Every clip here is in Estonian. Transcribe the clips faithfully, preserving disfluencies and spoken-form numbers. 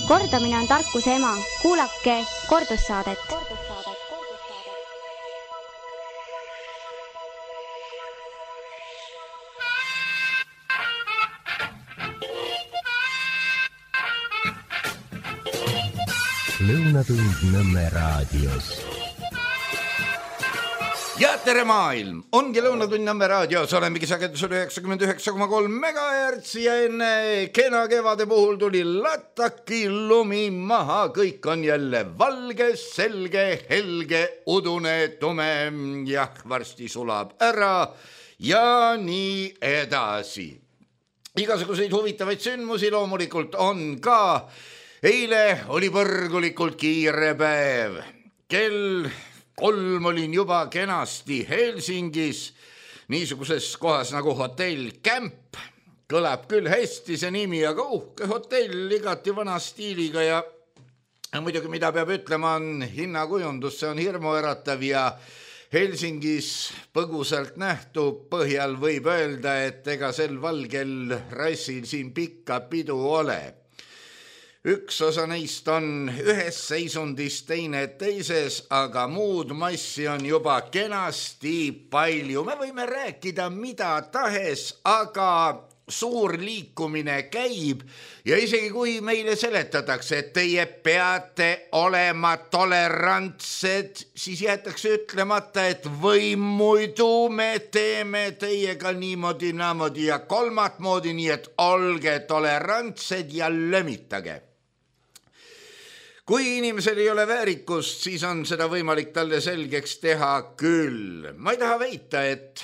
Kordamine on tarkuse ema. Kuulake kordussaadet. Lõunatund Nõmme raadios. Ja tere maailm! Ongi Lõunatund Nõmme raadios. Olemegi sagedusel üheksakümmend üheksa koma kolm megahertsi ja enne kena kevade puhul tuli lataki lumi maha. Kõik on jälle valge, selge, helge, udune, tume. Jah, varsti sulab ära ja nii edasi. Igasuguseid huvitavaid sündmusi loomulikult on ka. Eile oli põrgulikult kiire päev. Kell kolm olin juba kenasti Helsingis, niisuguses kohas nagu hotell Camp. Kõlab küll hästi see nimi, aga uhke hotell igati vana stiiliga ja muidugi mida peab ütlema on hinnakujundus, see on hirmuäratav ja Helsingis põgusalt nähtu põhjal võib öelda, et ega sel valgel rassil siin pikka pidu ole. Üks osa neist on ühes seisundis, teine teises, aga muud massi on juba kenasti palju. Me võime rääkida mida tahes, aga suur liikumine käib ja isegi kui meile seletatakse, et teie peate olema tolerantsed, siis jäetakse ütlemata, et või muidu me teeme teiega niimoodi, naamodi ja kolmat moodi, nii et olge tolerantsed ja lömitage. Kui inimesel ei ole väärikust, siis on seda võimalik talle selgeks teha küll. Ma ei taha väita, et,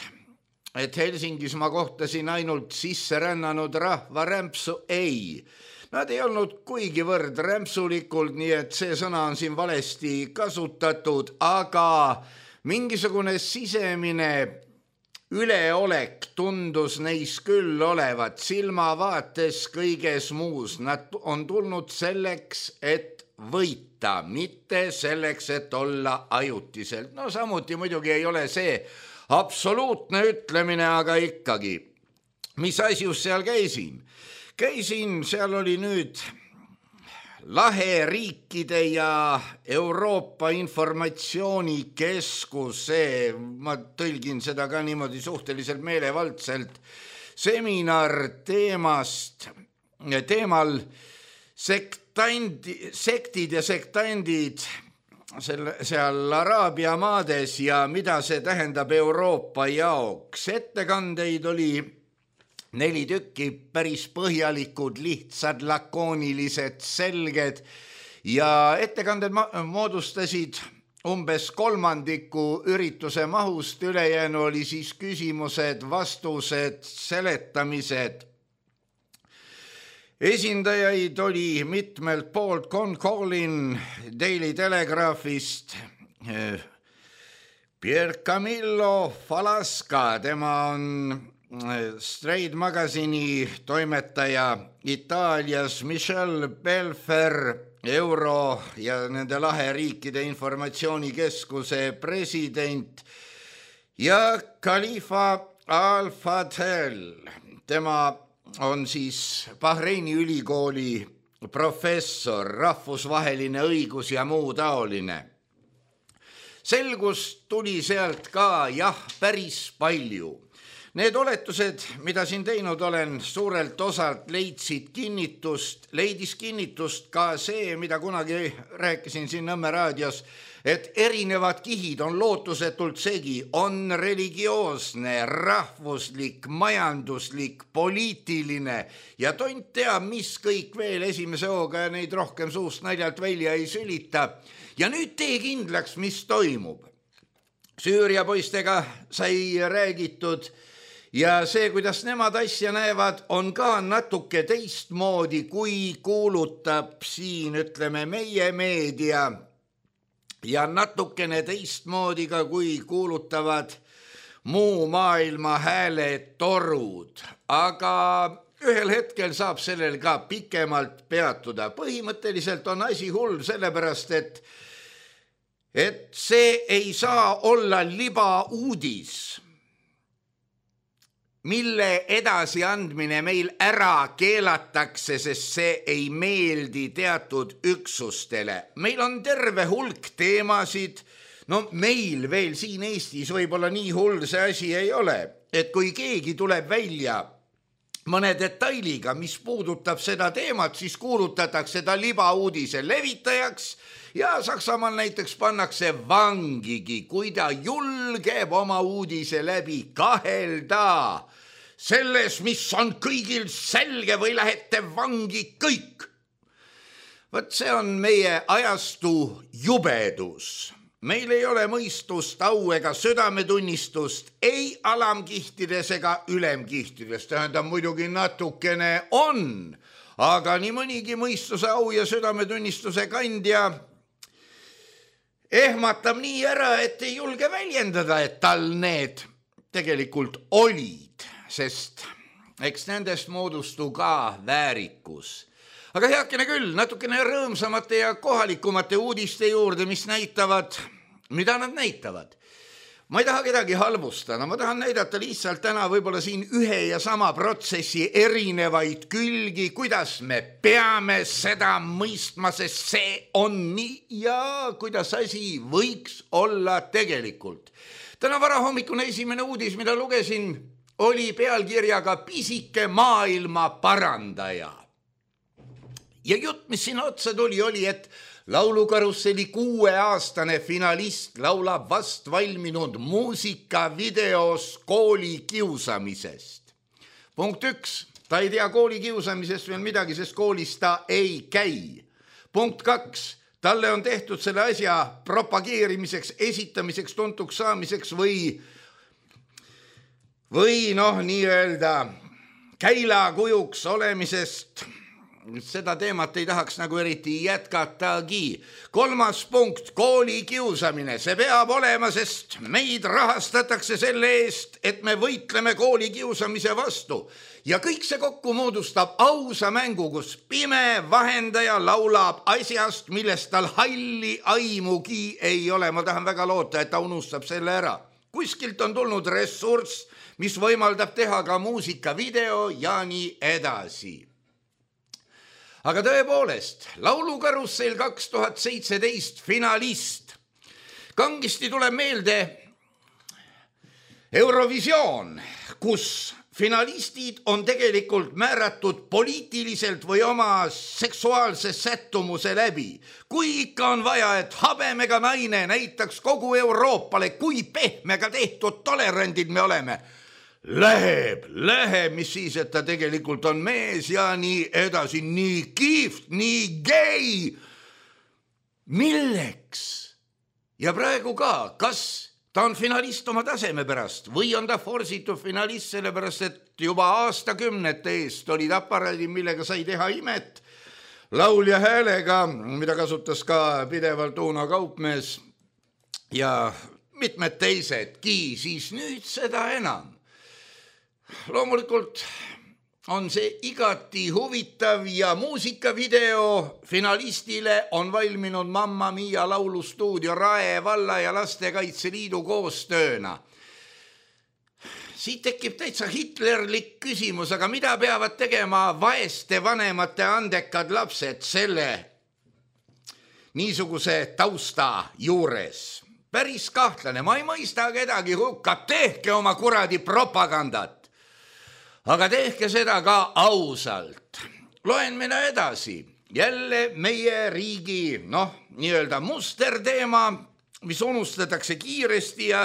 et Helsingis ma kohtasin ainult sisse rännanud rahva rämpsu. Ei, nad ei olnud kuigivõrd rämpsulikult, nii et see sõna on siin valesti kasutatud, aga mingisugune sisemine üleolek tundus neis küll olevat silmavaates kõiges muus. Nad on tulnud selleks, et võita, mitte selleks, et olla ajutiselt. No samuti muidugi ei ole see absoluutne ütlemine, aga ikkagi. Mis asjus seal käisin? Käisin, seal oli nüüd Lahe riikide ja Euroopa informatsioonikeskus, see, ma tõlgin seda ka niimoodi suhteliselt meelevaldselt, seminar teemast, teemal sektandi, sektid ja sektandid selle, seal Araabia maades ja mida see tähendab Euroopa jaoks. Ettekandeid oli neli tükki, päris põhjalikud, lihtsad, lakoonilised, selged ja ettekanded moodustasid umbes kolmandiku ürituse mahust, ülejäänu oli siis küsimused, vastused, seletamised. Esindajaid oli mitmelt poolt. Con Collin Daily Telegraphist, Pier Camillo Falasca, tema on Straight Magazine'i toimetaja Itaalias, Michel Belfer, Euro ja nende Lahe riikide informatsioonikeskuse president ja Khalifa Al-Fadhel, tema on siis Bahreini ülikooli professor, rahvusvaheline õigus ja muu taoline. Selgus tuli sealt ka, jah, päris palju. Need oletused, mida siin teinud olen, suurelt osalt leidsid kinnitust, leidis kinnitust ka see, mida kunagi rääkisin siin Nõmme raadios, et erinevad kihid on lootusetult segi, on religioosne, rahvuslik, majanduslik, poliitiline ja tont teab, mis kõik veel esimese hooga ja neid rohkem suust naljalt välja ei sülita. Ja nüüd tee kindlaks, mis toimub. Süüria poistega sai räägitud ja see, kuidas nemad asja näevad, on ka natuke teistmoodi, kui kuulutab siin, ütleme, meie meedia ja natukene teistmoodi ka, kui kuulutavad muu maailma hääletorud. Aga ühel hetkel saab sellel ka pikemalt peatuda. Põhimõtteliselt on asi hull sellepärast, et, et see ei saa olla libauudis. mille edasi andmine meil ära keelatakse, sest see ei meeldi teatud üksustele. Meil on terve hulk teemasid, no meil veel siin Eestis võib-olla nii hull see asi ei ole, et kui keegi tuleb välja mõne detailiga, mis puudutab seda teemat, siis kuulutatakse ta libauudise levitajaks ja Saksamaal näiteks pannakse vangigi, kui ta julgeb oma uudise läbi kahelda selles, mis on kõigil selge või lähete vangi kõik. Võt see on meie ajastu jubedus. Meil ei ole mõistust, au ega südametunnistust, ei alamkihtides ega ülemkihtides. Tähendab, muidugi natukene on, aga nii mõnigi mõistuse, au ja südametunnistuse kandja ehmatab nii ära, et ei julge väljendada, et tal need tegelikult olid, sest eks nendest moodustu ka väärikus. Aga heakene küll, natukene rõõmsamate ja kohalikumate uudiste juurde, mis näitavad, mida nad näitavad. Ma ei taha kedagi halvustada, ma tahan näidata lihtsalt täna võib-olla siin ühe ja sama protsessi erinevaid külgi, kuidas me peame seda mõistma, sest see on nii ja kuidas asi võiks olla tegelikult. Täna varahommikune esimene uudis, mida lugesin, oli pealkirjaga Pisike maailma parandaja. Ja jutt, mis siin otsa tuli, oli, et laulukarusselli kuueaastane finalist laulab vast valminud muusikavideos kooli kiusamisest. Punkt üks, ta ei tea kooli kiusamisest veel midagi, sest koolis ta ei käi. Punkt kaks, talle on tehtud selle asja propageerimiseks, esitamiseks, tuntuks saamiseks või, või noh, nii öelda käilakujuks olemisest. Seda teemat ei tahaks nagu eriti jätkatagi. Kolmas punkt, kooli kiusamine. See peab olema, sest meid rahastatakse selle eest, et me võitleme kooli kiusamise vastu. Ja kõik see kokku moodustab ausa mängu, kus pime vahendaja laulab asjast, millest tal halli aimugi ei ole. Ma tahan väga loota, et ta unustab selle ära. Kuskilt on tulnud ressurss, mis võimaldab teha ka muusikavideo ja nii edasi. Aga tõepoolest, laulukarussell kaks tuhat seitseteist finalist. Kangisti tuleb meelde Eurovisioon, kus finalistid on tegelikult määratud poliitiliselt või oma seksuaalse sättumuse läbi. Kui ikka on vaja, et habemega naine näitaks kogu Euroopale, kui pehmega tehtud tolerandid me oleme, Läheb, läheb, mis siis, et ta tegelikult on mees ja nii edasi, nii kiift, nii gei. Milleks? Ja praegu ka, kas ta on finalist oma taseme pärast või on ta forsitud finalist selle pärast, et juba aastakümnete eest olid aparaadid, millega sai teha imet laulja häälega, mida kasutas ka pidevalt Uno Kaupmees ja mitmed teisedki, siis nüüd seda enam. Loomulikult on see igati huvitav ja muusikavideo finalistile on valminud Mamma Mia laulustuudio Rae valla ja Lastekaitseliidu koostööna. Siit tekib täitsa hitlerlik küsimus, aga mida peavad tegema vaeste vanemate andekad lapsed selle niisuguse tausta juures? Päris kahtlane, ma ei mõista kedagi hukka, tehke oma kuradi propagandat. Aga tehke seda ka ausalt. Loen mina edasi. Jälle meie riigi, noh, nii-öelda musterteema, mis unustatakse kiiresti ja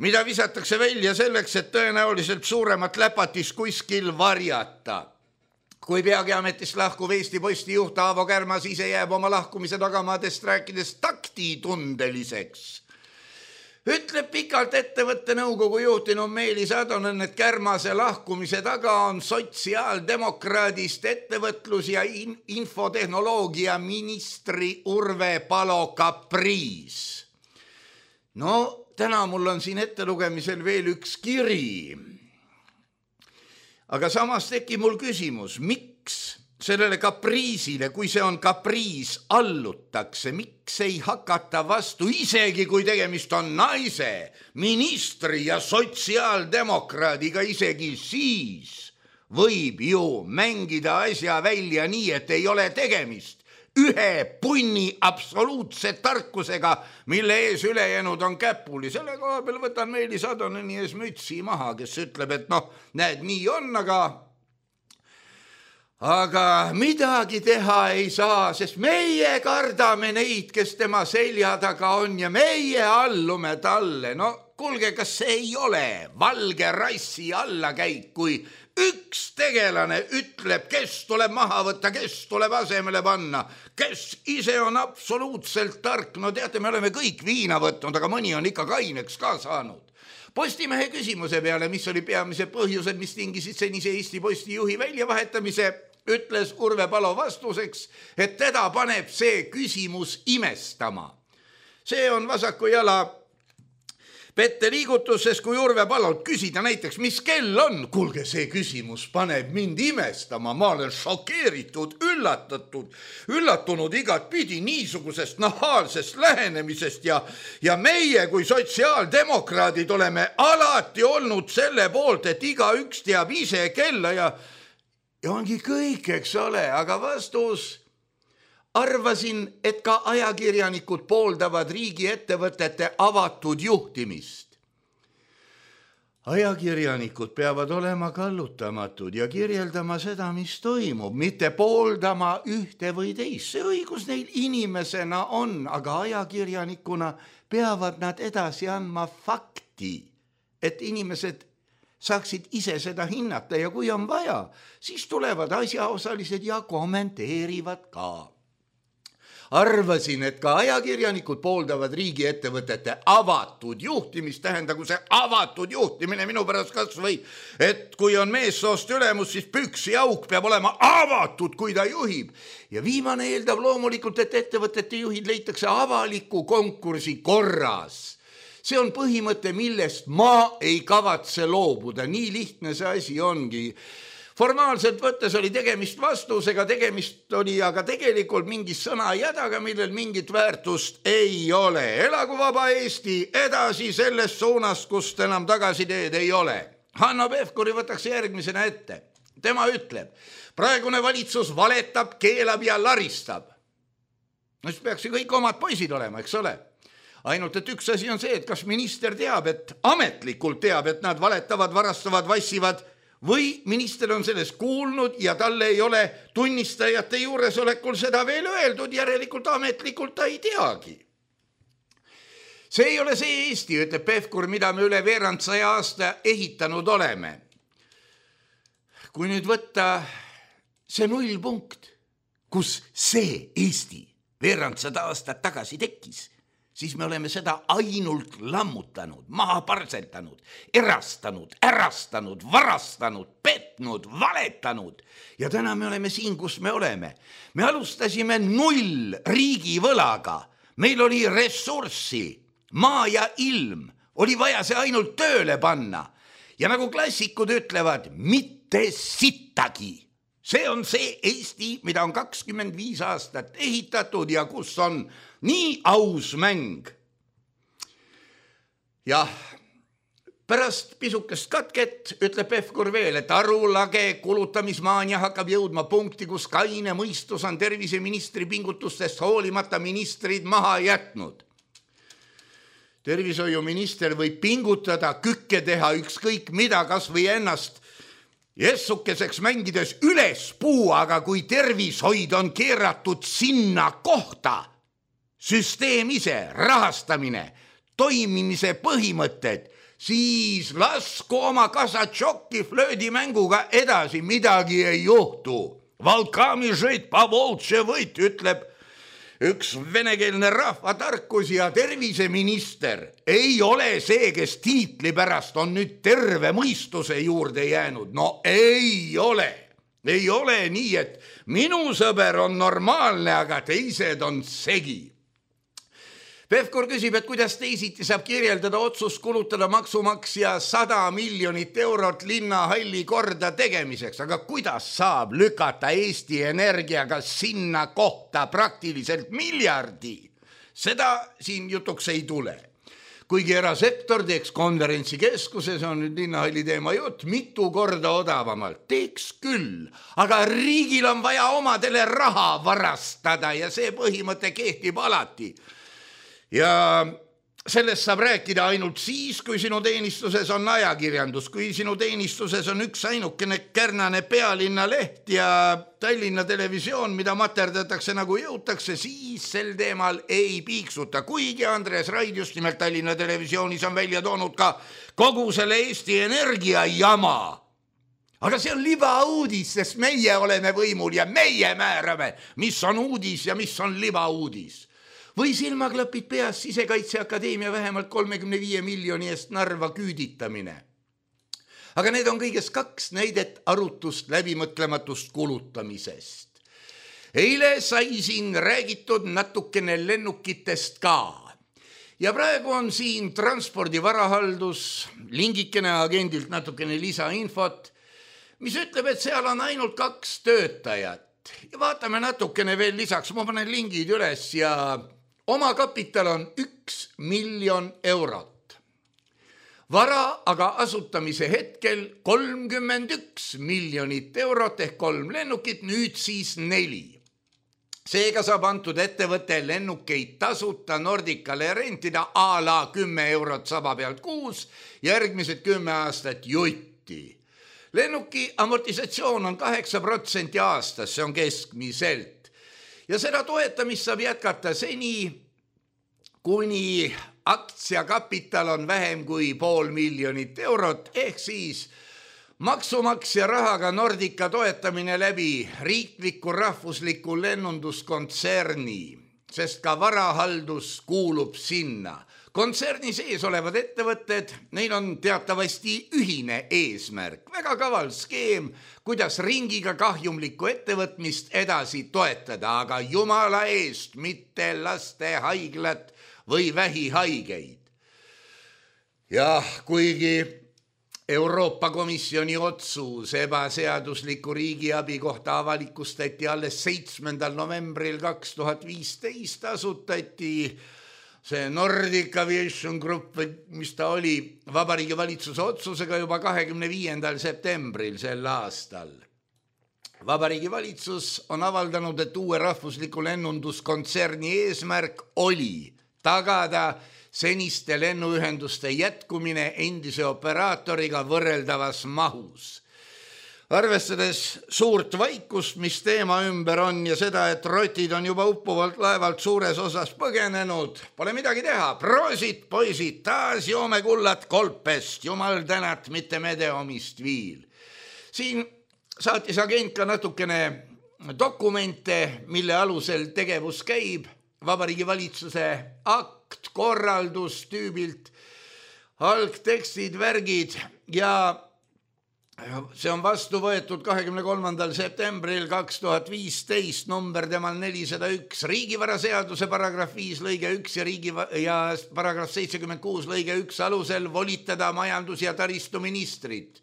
mida visatakse välja selleks, et tõenäoliselt suuremat läpatis kuskil varjata. Kui peagiametist lahkuv Eesti Posti juht Aavo Kärmas ise jääb oma lahkumise tagamaadest rääkides taktitundeliseks. Ütleb pikalt ettevõtte nõukogu juhtinu Meelis Atonen, et Kärmase lahkumise taga on sotsiaaldemokraadist ettevõtlus- ja in- infotehnoloogia ministri Urve Palo kapriis. No, täna mul on siin ettelugemisel veel üks kiri. Aga samas teki mul küsimus, miks sellele kapriisile, kui see on kapriis, allutakse, miks ei hakata vastu, isegi kui tegemist on naise, ministri ja sotsiaaldemokraadiga, isegi siis võib ju mängida asja välja nii, et ei ole tegemist ühe punni absoluutse tarkusega, mille ees ülejäänud on käpuli. Selle koha peal võtan Meelis Adoneni ees mütsi maha, kes ütleb, et noh, näed, nii on, aga aga midagi teha ei saa, sest meie kardame neid, kes tema selja taga on ja meie allume talle. No kuulge, kas see ei ole valge rassi allakäik, kui üks tegelane ütleb, kes tuleb maha võtta, kes tuleb asemele panna, kes ise on absoluutselt tark. No teate, me oleme kõik viina võtnud, aga mõni on ikka kaineks ka saanud. Postimehe küsimuse peale, mis oli peamise põhjused, mis tingisid senise Eesti Posti juhi väljavahetamise, ütles Urve Palo vastuseks, et teda paneb see küsimus imestama. See on vasaku jala pette liigutus, sest kui Urve Palolt küsida näiteks, mis kell on, kuulge, see küsimus paneb mind imestama, ma olen šokeeritud, üllatatud, üllatunud igat pidi niisugusest nahaalsest lähenemisest ja, ja meie kui sotsiaaldemokraadid oleme alati olnud selle poolt, et igaüks teab ise kella ja, ja ongi kõik, eks ole, aga vastus... Arvasin, et ka ajakirjanikud pooldavad riigiettevõtete avatud juhtimist. Ajakirjanikud peavad olema kallutamatud ja kirjeldama seda, mis toimub, mitte pooldama ühte või teist. See õigus neil inimesena on, aga ajakirjanikuna peavad nad edasi andma fakti, et inimesed saaksid ise seda hinnata ja kui on vaja, siis tulevad asjaosalised ja kommenteerivad ka. Arvasin, et ka ajakirjanikud pooldavad riigiettevõtete avatud juhtimist, tähendagu see avatud juhtimine minu pärast kas või, et kui on meessoost ülemus, siis püksi auk peab olema avatud, kui ta juhib. Ja viimane eeldab loomulikult, et ettevõtete juhid leitakse avaliku konkursi korras. See on põhimõte, millest ma ei kavatse loobuda, nii lihtne see asi ongi. Formaalselt võttes oli tegemist vastusega, tegemist oli aga tegelikult mingi sõna jädaga, millel mingit väärtust ei ole. Elagu vaba Eesti edasi selles suunas, kust enam tagasiteed ei ole. Hanno Pevkuri võtaks järgmisena ette. Tema ütleb, praegune valitsus valetab, keelab ja laristab. No siis peaks ju kõik omad poisid olema, eks ole? Ainult, et üks asi on see, et kas minister teab, et ametlikult teab, et nad valetavad, varastavad, vassivad, või minister on sellest kuulnud ja talle ei ole tunnistajate juuresolekul seda veel öeldud, järelikult ametlikult ta ei teagi. See ei ole see Eesti, ütleb Pevkur, mida me üle veerand saja aasta ehitanud oleme. Kui nüüd võtta see nullpunkt, kus see Eesti veerand sada aastat tagasi tekkis, siis me oleme seda ainult lammutanud, maha parseltanud, erastanud, ärastanud, varastanud, petnud, valetanud. Ja täna me oleme siin, kus me oleme. Me alustasime null riigivõlaga. Meil oli ressurssi, maa ja ilm. Oli vaja see ainult tööle panna. Ja nagu klassikud ütlevad, mitte sittagi. See on see Eesti, mida on kakskümmend viis aastat ehitatud ja kus on nii aus mäng. Jah, pärast pisukest katket ütleb Pevkur veel, et arulage kulutamismaania hakkab jõudma punkti, kus kaine mõistus on terviseministri pingutustest hoolimata ministrid maha jätnud. Tervishoiuminister võib pingutada, kükke teha, ükskõik mida, kas või ennast jessukeseks mängides üles puu, aga kui tervishoid on keeratud sinna kohta, süsteem ise, rahastamine, toimimise põhimõtted, siis lasku oma kasatšokki flöödimänguga edasi, midagi ei juhtu. Valkami žõit pavoltše võit, ütleb üks venekeelne rahvatarkus ja terviseminister ei ole see, kes tiitli pärast on nüüd terve mõistuse juurde jäänud. No ei ole. Ei ole nii, et minu sõber on normaalne, aga teised on segi. Pevkur küsib, et kuidas teisiti saab kirjeldada otsust kulutada maksumaksja sada miljonit eurot linnahalli korda tegemiseks, aga kuidas saab lükata Eesti Energiaga sinna kohta praktiliselt miljardi? Seda siin jutuks ei tule. Kuigi erasektor teeks konverentsikeskuses, on nüüd linnahalli teema jutt, mitu korda odavamalt. Teeks küll, aga riigil on vaja omadele raha varastada ja see põhimõte kehtib alati. Ja sellest saab rääkida ainult siis, kui sinu teenistuses on ajakirjandus, kui sinu teenistuses on üks ainukene kärnane Pealinna leht ja Tallinna televisioon, mida materdatakse nagu jõutakse, siis sel teemal ei piiksuta. Kuigi Andres Raid just nimelt Tallinna televisioonis on välja toonud ka kogu selle Eesti Energia jama. Aga see on libauudis, sest meie oleme võimul ja meie määrame, mis on uudis ja mis on libauudis. Või silmaklapid peas Sisekaitseakadeemia vähemalt kolmekümne viie miljoni eest Narva küüditamine. Aga need on kõigest kaks näidet arutust läbimõtlematust kulutamisest. Eile sai siin räägitud natukene lennukitest ka. Ja praegu on siin transpordivarahaldus, lingikene agendilt natukene lisainfot, mis ütleb, et seal on ainult kaks töötajat. Ja vaatame natukene veel lisaks, ma panen lingid üles ja oma kapital on üks miljon eurot. Vara aga asutamise hetkel kolmkümmend üks miljonit eurot ehk kolm lennukit, nüüd siis neli. Seega saab antud ettevõte lennukeid tasuta Nordicale rentida a la kümme eurot saba pealt kuus, järgmised kümme aastat jutti. Lennuki amortisatsioon on kaheksa protsenti aastas, see on keskmiselt. Ja seda toetamist saab jätkata seni, kuni aktsiakapital on vähem kui pool miljonit eurot, ehk siis maksumaksja rahaga Nordica toetamine läbi riikliku rahvusliku lennunduskontserni, sest ka varahaldus kuulub sinna. Kontserni sees olevad ettevõtted, neil on teatavasti ühine eesmärk. Väga kaval skeem, kuidas ringiga kahjumlikku ettevõtmist edasi toetada, aga jumala eest mitte laste haiglat või vähihaigeid. Ja kuigi Euroopa Komisjoni otsus ebaseadusliku riigiabi kohta avalikustati alles seitsmendal novembril kaks tuhat viisteist, asutati see Nordic Aviation Group, mis ta oli Vabariigi Valitsuse otsusega juba kahekümne viiendal septembril sel aastal. Vabariigi Valitsus on avaldanud, et uue rahvusliku lennunduskontserni eesmärk oli tagada seniste lennuühenduste jätkumine endise operaatoriga võrreldavas mahus. Arvestades suurt vaikust, mis teema ümber on ja seda, et rotid on juba uppuvalt laevalt suures osas põgenenud, pole midagi teha. Proosit, poisid, taas joome kullat kolpest, jumal tänat, mitte medeomist viil. Siin saatis agent ka natukene dokumente, mille alusel tegevus käib. Vabariigi Valitsuse akt, korraldus tüübilt, algtekstid, värgid ja see on vastu võetud kahekümne kolmandal septembril kaks tuhat viisteist, number temal nelisada üks, riigivaraseaduse paragrahv viis lõige üks ja, riigi, ja paragrahv seitsekümmend kuus lõige üks alusel volitada majandus- ja taristuministrit.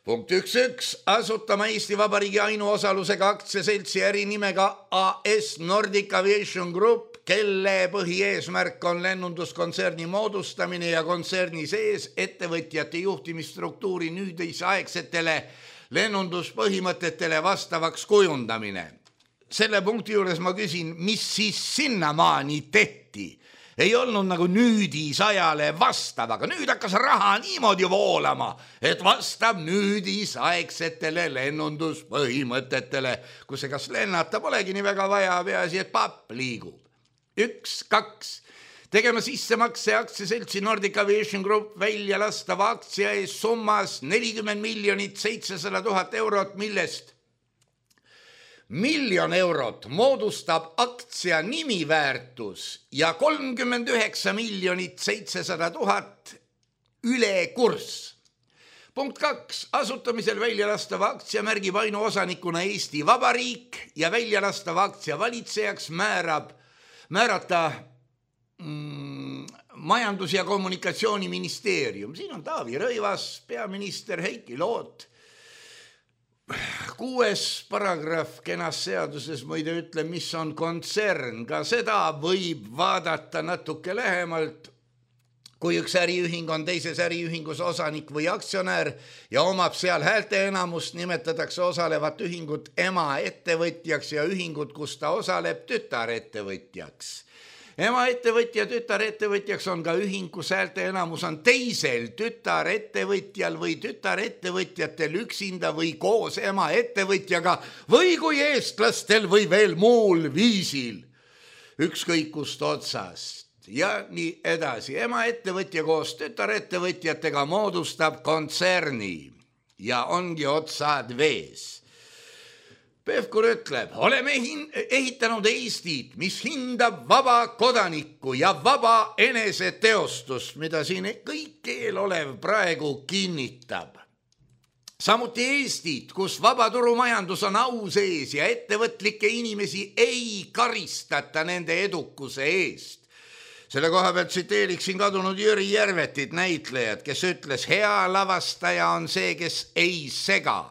Punkt üks üks, asutama Eesti Vabariigi ainuosalusega aktsiaseltsi ärinimega A S Nordic Aviation Group, kelle põhieesmärk on lennunduskontserni moodustamine ja kontserni sees ettevõtjate juhtimisstruktuuri nüüdisaegsetele lennunduspõhimõtetele vastavaks kujundamine. Selle punkti juures ma küsin, mis siis sinnamaani tehti? Ei olnud nagu nüüdisajale vastav, aga nüüd hakkas raha niimoodi voolama, et vastab nüüdisaegsetele lennunduspõhimõtetele, kus kas lennata polegi nii väga vaja, peaasi, et papp liigub. Üks, kaks, tegema sissemakse aktsiaseltsi Nordic Aviation Group välja lastava aktsia ees summas nelikümmend miljonit seitsesada tuhat eurot, millest miljon eurot moodustab aktsia nimiväärtus ja kolmkümmend üheksa miljonit seitsesada tuhat ülekurss. Punkt kaks, asutamisel väljalastava aktsia märgib ainuosanikuna Eesti Vabariik ja väljalastava aktsia valitsejaks määrab, määrata mm, majandus- ja kommunikatsiooniministeerium. Siin on Taavi Rõivas, peaminister Heiki Loot. Kuues paragrahv kenas seaduses muide ütle, mis on kontsern. Ka seda võib vaadata natuke lähemalt. Kui üks äriühing on teises äriühingus osanik või aktsionär ja omab seal häälte enamust, nimetatakse osalevat ühingut ema ettevõtjaks ja ühingut, kus ta osaleb, tütarettevõtjaks. Ema ettevõtja tütarettevõtjaks on ka ühing, kus häälte enamus on teisel tütarettevõtjal või tütarettevõtjatel üksinda või koos ema ettevõtjaga või kui eestlastel või veel muul viisil. Ükskõik kust otsast. Ja nii edasi. Ema ettevõtja koos tütarettevõtjatega moodustab kontserni ja ongi otsad vees. Pevkur ütleb, oleme ehitanud Eestit, mis hindab vaba kodanikku ja vaba eneseteostust, mida siin kõik eelolev praegu kinnitab. Samuti Eestit, kus vabaturumajandus on au sees ja ettevõtlikke inimesi ei karistata nende edukuse eest. Selle koha pealt tsiteeriksin kadunud Jüri Järvetit, näitlejad, kes ütles, hea lavastaja on see, kes ei sega.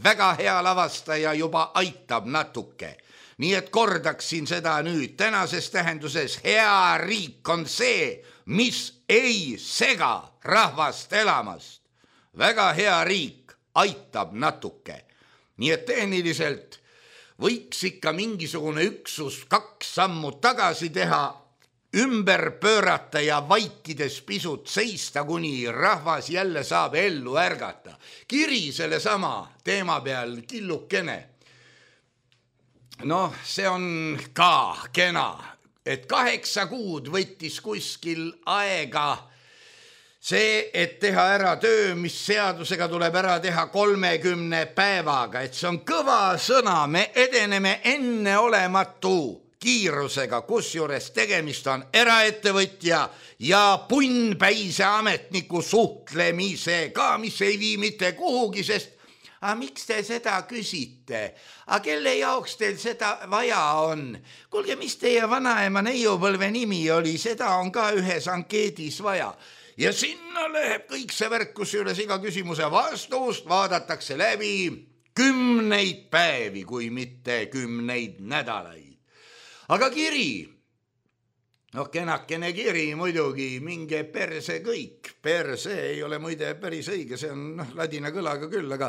Väga hea lavastaja juba aitab natuke. Nii et kordaksin seda nüüd. Tänases tähenduses hea riik on see, mis ei sega rahvast elamast. Väga hea riik aitab natuke. Nii et tehniliselt võiks ikka mingisugune üksus kaks sammu tagasi teha, ümber pöörata ja vaikides pisut seista, kuni rahvas jälle saab ellu ärgata. Kiri selle sama teema peal killukene. Noh, see on ka kena, et kaheksa kuud võttis kuskil aega see, et teha ära töö, mis seadusega tuleb ära teha kolmekümne päevaga, et see on kõva sõna, me edeneme enneolematu kiirusega, kusjuures tegemist on eraettevõtja ja punnpäise ametniku suhtlemisega, mis ei vii mitte kuhugi, sest aga miks te seda küsite? Aga kelle jaoks teil seda vaja on? Kuulge, mis teie vanaema neiupõlve nimi oli? Seda on ka ühes ankeedis vaja. Ja sinna läheb kõik see värk, kusjuures iga küsimuse vastust vaadatakse läbi kümneid päevi, kui mitte kümneid nädalaid. Aga kiri, noh kenakene kiri muidugi, minge perse kõik. Perse ei ole muide päris õige, see on noh, ladina kõlaga küll, aga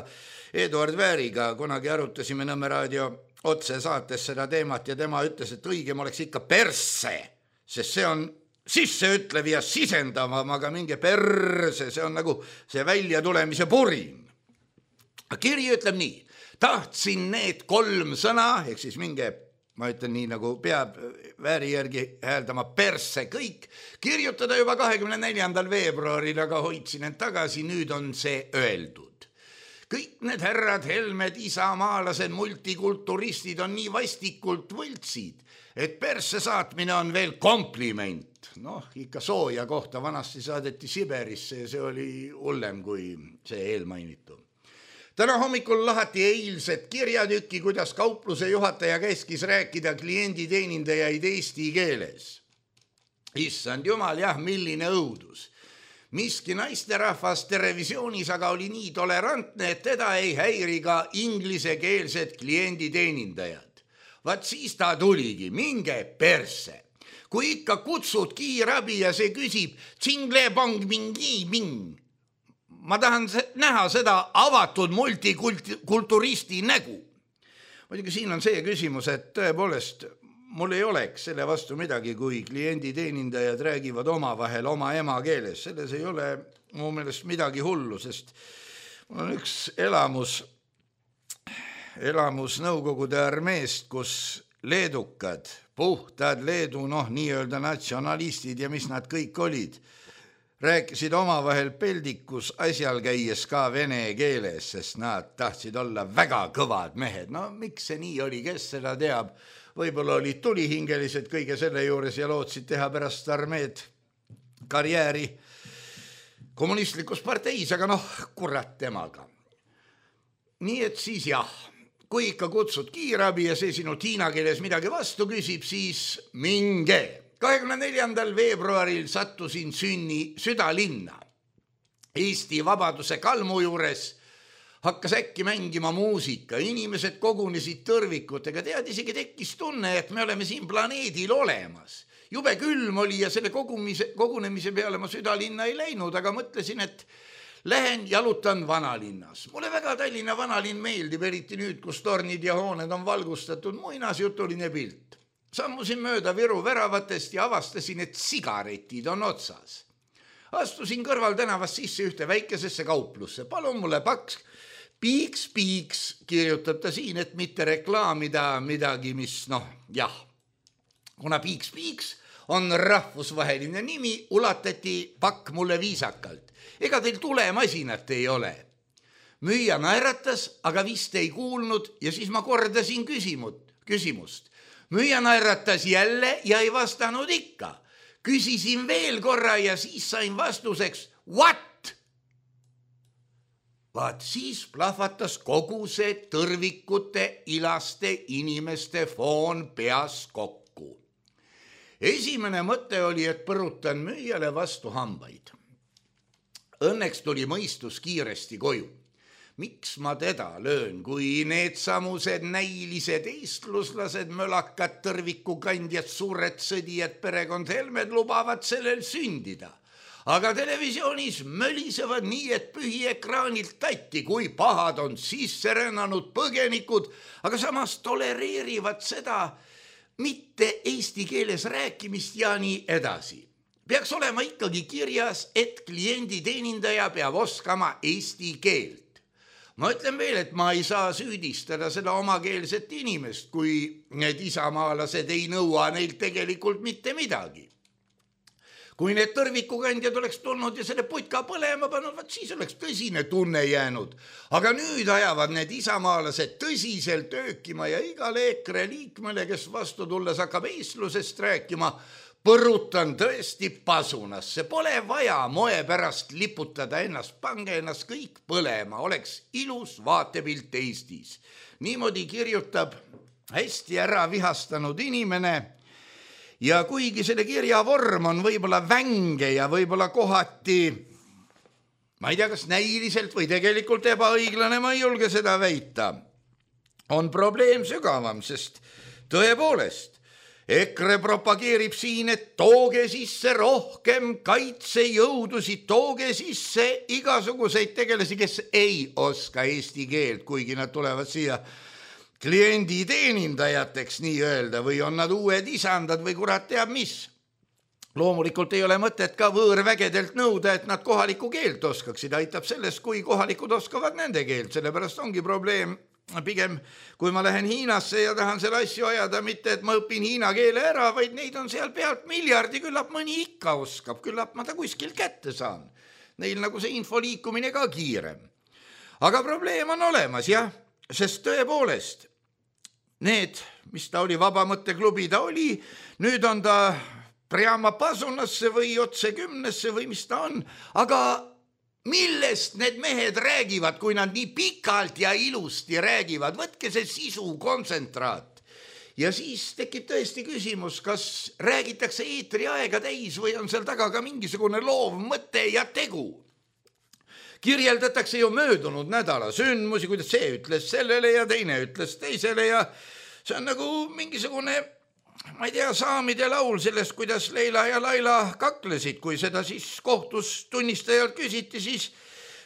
Eduard Vääriga kunagi arutasime Nõmme raadio otsesaates seda teemat ja tema ütles, et õigem oleks ikka perse, sest see on sisseütlev ja sisendavam, aga minge perse, see on nagu see välja tulemise purin. Kiri ütleb nii, tahtsin need kolm sõna, ehk siis minge ma ütlen nii, nagu peab Vääri järgi hääldama perse kõik, kirjutada juba kahekümne neljandal veebruaril, aga hoidsin end tagasi, nüüd on see öeldud. Kõik need härrad, Helmed, isamaalased, multikulturistid on nii vastikult võltsid, et perse saatmine on veel kompliment. Noh, ikka sooja kohta vanasti saadeti Siberisse ja see oli hullem kui see eelmainitu. Täna hommikul lahati eilset kirjatükki, kuidas kaupluse juhataja käskis rääkida klienditeenindajaid eesti keeles. Issand jumal, jah, milline õudus. Miski naisterahvas televisioonis aga oli nii tolerantne, et teda ei häiri ka inglisekeelsed klienditeenindajad. Vaat siis ta tuligi, minge perse. Kui ikka kutsud kiirabi ja see küsib tsingle pong mingi ming. Ma tahan näha seda avatud multikulturisti nägu. Muidugi siin on see küsimus, et tõepoolest mul ei oleks selle vastu midagi, kui klienditeenindajad räägivad omavahel oma emakeeles. Selles ei ole mu meelest midagi hullu, sest mul on üks elamus, elamus Nõukogude armeest, kus leedukad, puhtad Leedu, noh, nii-öelda natsionalistid ja mis nad kõik olid, rääkisid omavahel peldikus asjal käies ka vene keeles, sest nad tahtsid olla väga kõvad mehed. No miks see nii oli, kes seda teab? Võib-olla olid tulihingelised kõige selle juures ja lootsid teha pärast armeed karjääri kommunistlikus parteis, aga noh, kurat temaga. Nii et siis jah, kui ikka kutsud kiirabi ja see sinu tiina keeles midagi vastu küsib, siis minge. kahekümne neljandal veebruaril sattusin sünni südalinna. Eesti Vabaduse kalmu juures hakkas äkki mängima muusika, inimesed kogunesid tõrvikutega, tead isegi tekkis tunne, et me oleme siin planeedil olemas. Jube külm oli ja selle kogumise, kogunemise peale ma südalinna ei läinud, aga mõtlesin, et lähen jalutan vanalinnas. Mulle väga Tallinna vanalinn meeldib, eriti nüüd, kus tornid ja hooned on valgustatud, muinasjutuline pilt. Sammusin mööda Viru väravatest ja avastasin, et sigaretid on otsas. Astusin kõrval tänavast sisse ühte väikesesse kauplusse. Palun mulle paks, piiks, piiks, kirjutab ta siin, et mitte reklaamida midagi, mis noh, jah. Kuna piiks, piiks on rahvusvaheline nimi, ulatati pakk mulle viisakalt. Ega teil tulemasinat ei ole. Müüja naeratas, aga vist ei kuulnud ja siis ma kordasin küsimut, küsimust. Müüja naeratas jälle ja ei vastanud ikka. Küsisin veel korra ja siis sain vastuseks, what? Vaat siis plahvatas kogu see tõrvikute, ilaste inimeste foon peas kokku. Esimene mõte oli, et põrutan müüjale vastu hambaid. Õnneks tuli mõistus kiiresti koju. Miks ma teda löön, kui need samused näilised eestluslased, mölakad, tõrvikukandjad, suured sõdijad, perekond Helmed lubavad sellel sündida. Aga televisioonis mölisevad nii, et pühiekraanilt tatti, kui pahad on sisse rännanud põgenikud, aga samas tolereerivad seda mitte eesti keeles rääkimist ja nii edasi. Peaks olema ikkagi kirjas, et kliendi teenindaja peab oskama eesti keelt. Ma ütlen veel, et ma ei saa süüdistada seda omakeelset inimest, kui need isamaalased ei nõua neilt tegelikult mitte midagi. Kui need tõrvikukandjad oleks tulnud ja selle putka põlema pannud, siis oleks tõsine tunne jäänud. Aga nüüd ajavad need isamaalased tõsiselt öökima ja igale EKRE liikmele, kes vastu tulles hakkab eestlusest rääkima, põrutan tõesti pasunasse, pole vaja moe pärast liputada ennast, pange ennast kõik põlema, oleks ilus vaatepilt Eestis. Niimoodi kirjutab hästi ära vihastanud inimene ja kuigi selle kirja vorm on võib-olla vänge ja võib-olla kohati, ma ei tea, kas näiliselt või tegelikult ebaõiglane, ma ei julge seda väita, on probleem sügavam, sest tõepoolest, EKRE propageerib siin, et tooge sisse rohkem kaitsejõudusid, tooge sisse igasuguseid tegelasi, kes ei oska eesti keelt, kuigi nad tulevad siia kliendi teenindajateks nii öelda, või on nad uued isandad või kurat teab mis. Loomulikult ei ole mõtet ka võõrvägedelt nõuda, et nad kohalikku keelt oskaksid, aitab sellest, kui kohalikud oskavad nende keelt, sellepärast ongi probleem. Pigem, kui ma lähen Hiinasse ja tahan selle asju ajada, mitte et ma õpin hiina keele ära, vaid neid on seal pealt miljardi, küllap mõni ikka oskab, küllap ma ta kuskil kätte saan. Neil nagu see info liikumine ka kiirem. Aga probleem on olemas, jah, sest tõepoolest, need, mis ta oli, vabamõtteklubi ta oli, nüüd on ta Priama pasunasse või otse kümnesse või mis ta on, aga millest need mehed räägivad, kui nad nii pikalt ja ilusti räägivad, võtke see sisu kontsentraat. Ja siis tekib tõesti küsimus, kas räägitakse eetri aega täis või on seal taga ka mingisugune loov mõte ja tegu. Kirjeldatakse ju möödunud nädala sündmusi, kuidas see ütles sellele ja teine ütles teisele ja see on nagu mingisugune, ma ei tea, saamide laul sellest, kuidas Leila ja Laila kaklesid, kui seda siis kohtus tunnistajalt küsiti, siis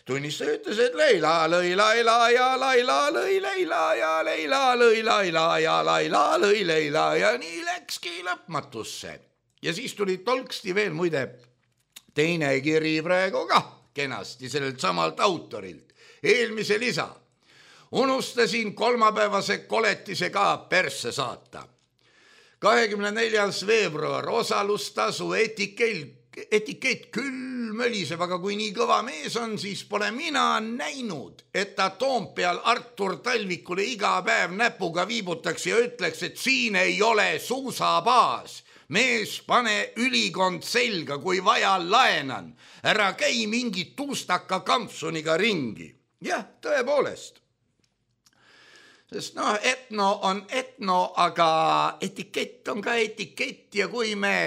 tunnistaja ütles, et Leila lõi Laila ja Laila lõi Leila ja Leila lõi Laila ja Laila lõi Leila ja nii läkski lõpmatusse. Ja siis tuli tolksti veel muide teine kiri praegu ka kenasti sellelt samalt autorilt. Eelmise lisa. Unustasin kolmapäevase koletise ka persse saata. kahekümne neljas veebruar, osalustasu etikett, etikett küll möliseb, aga kui nii kõva mees on, siis pole mina näinud, et ta Toompeal Artur Talvikule iga päev näpuga viibutaks ja ütleks, et siin ei ole suusabaas. Mees, pane ülikond selga, kui vaja laenan. Ära käi mingit tuustaka kampsuniga ringi. Jah, tõepoolest. Sest noh, etno on etno, aga etikett on ka etikett ja kui me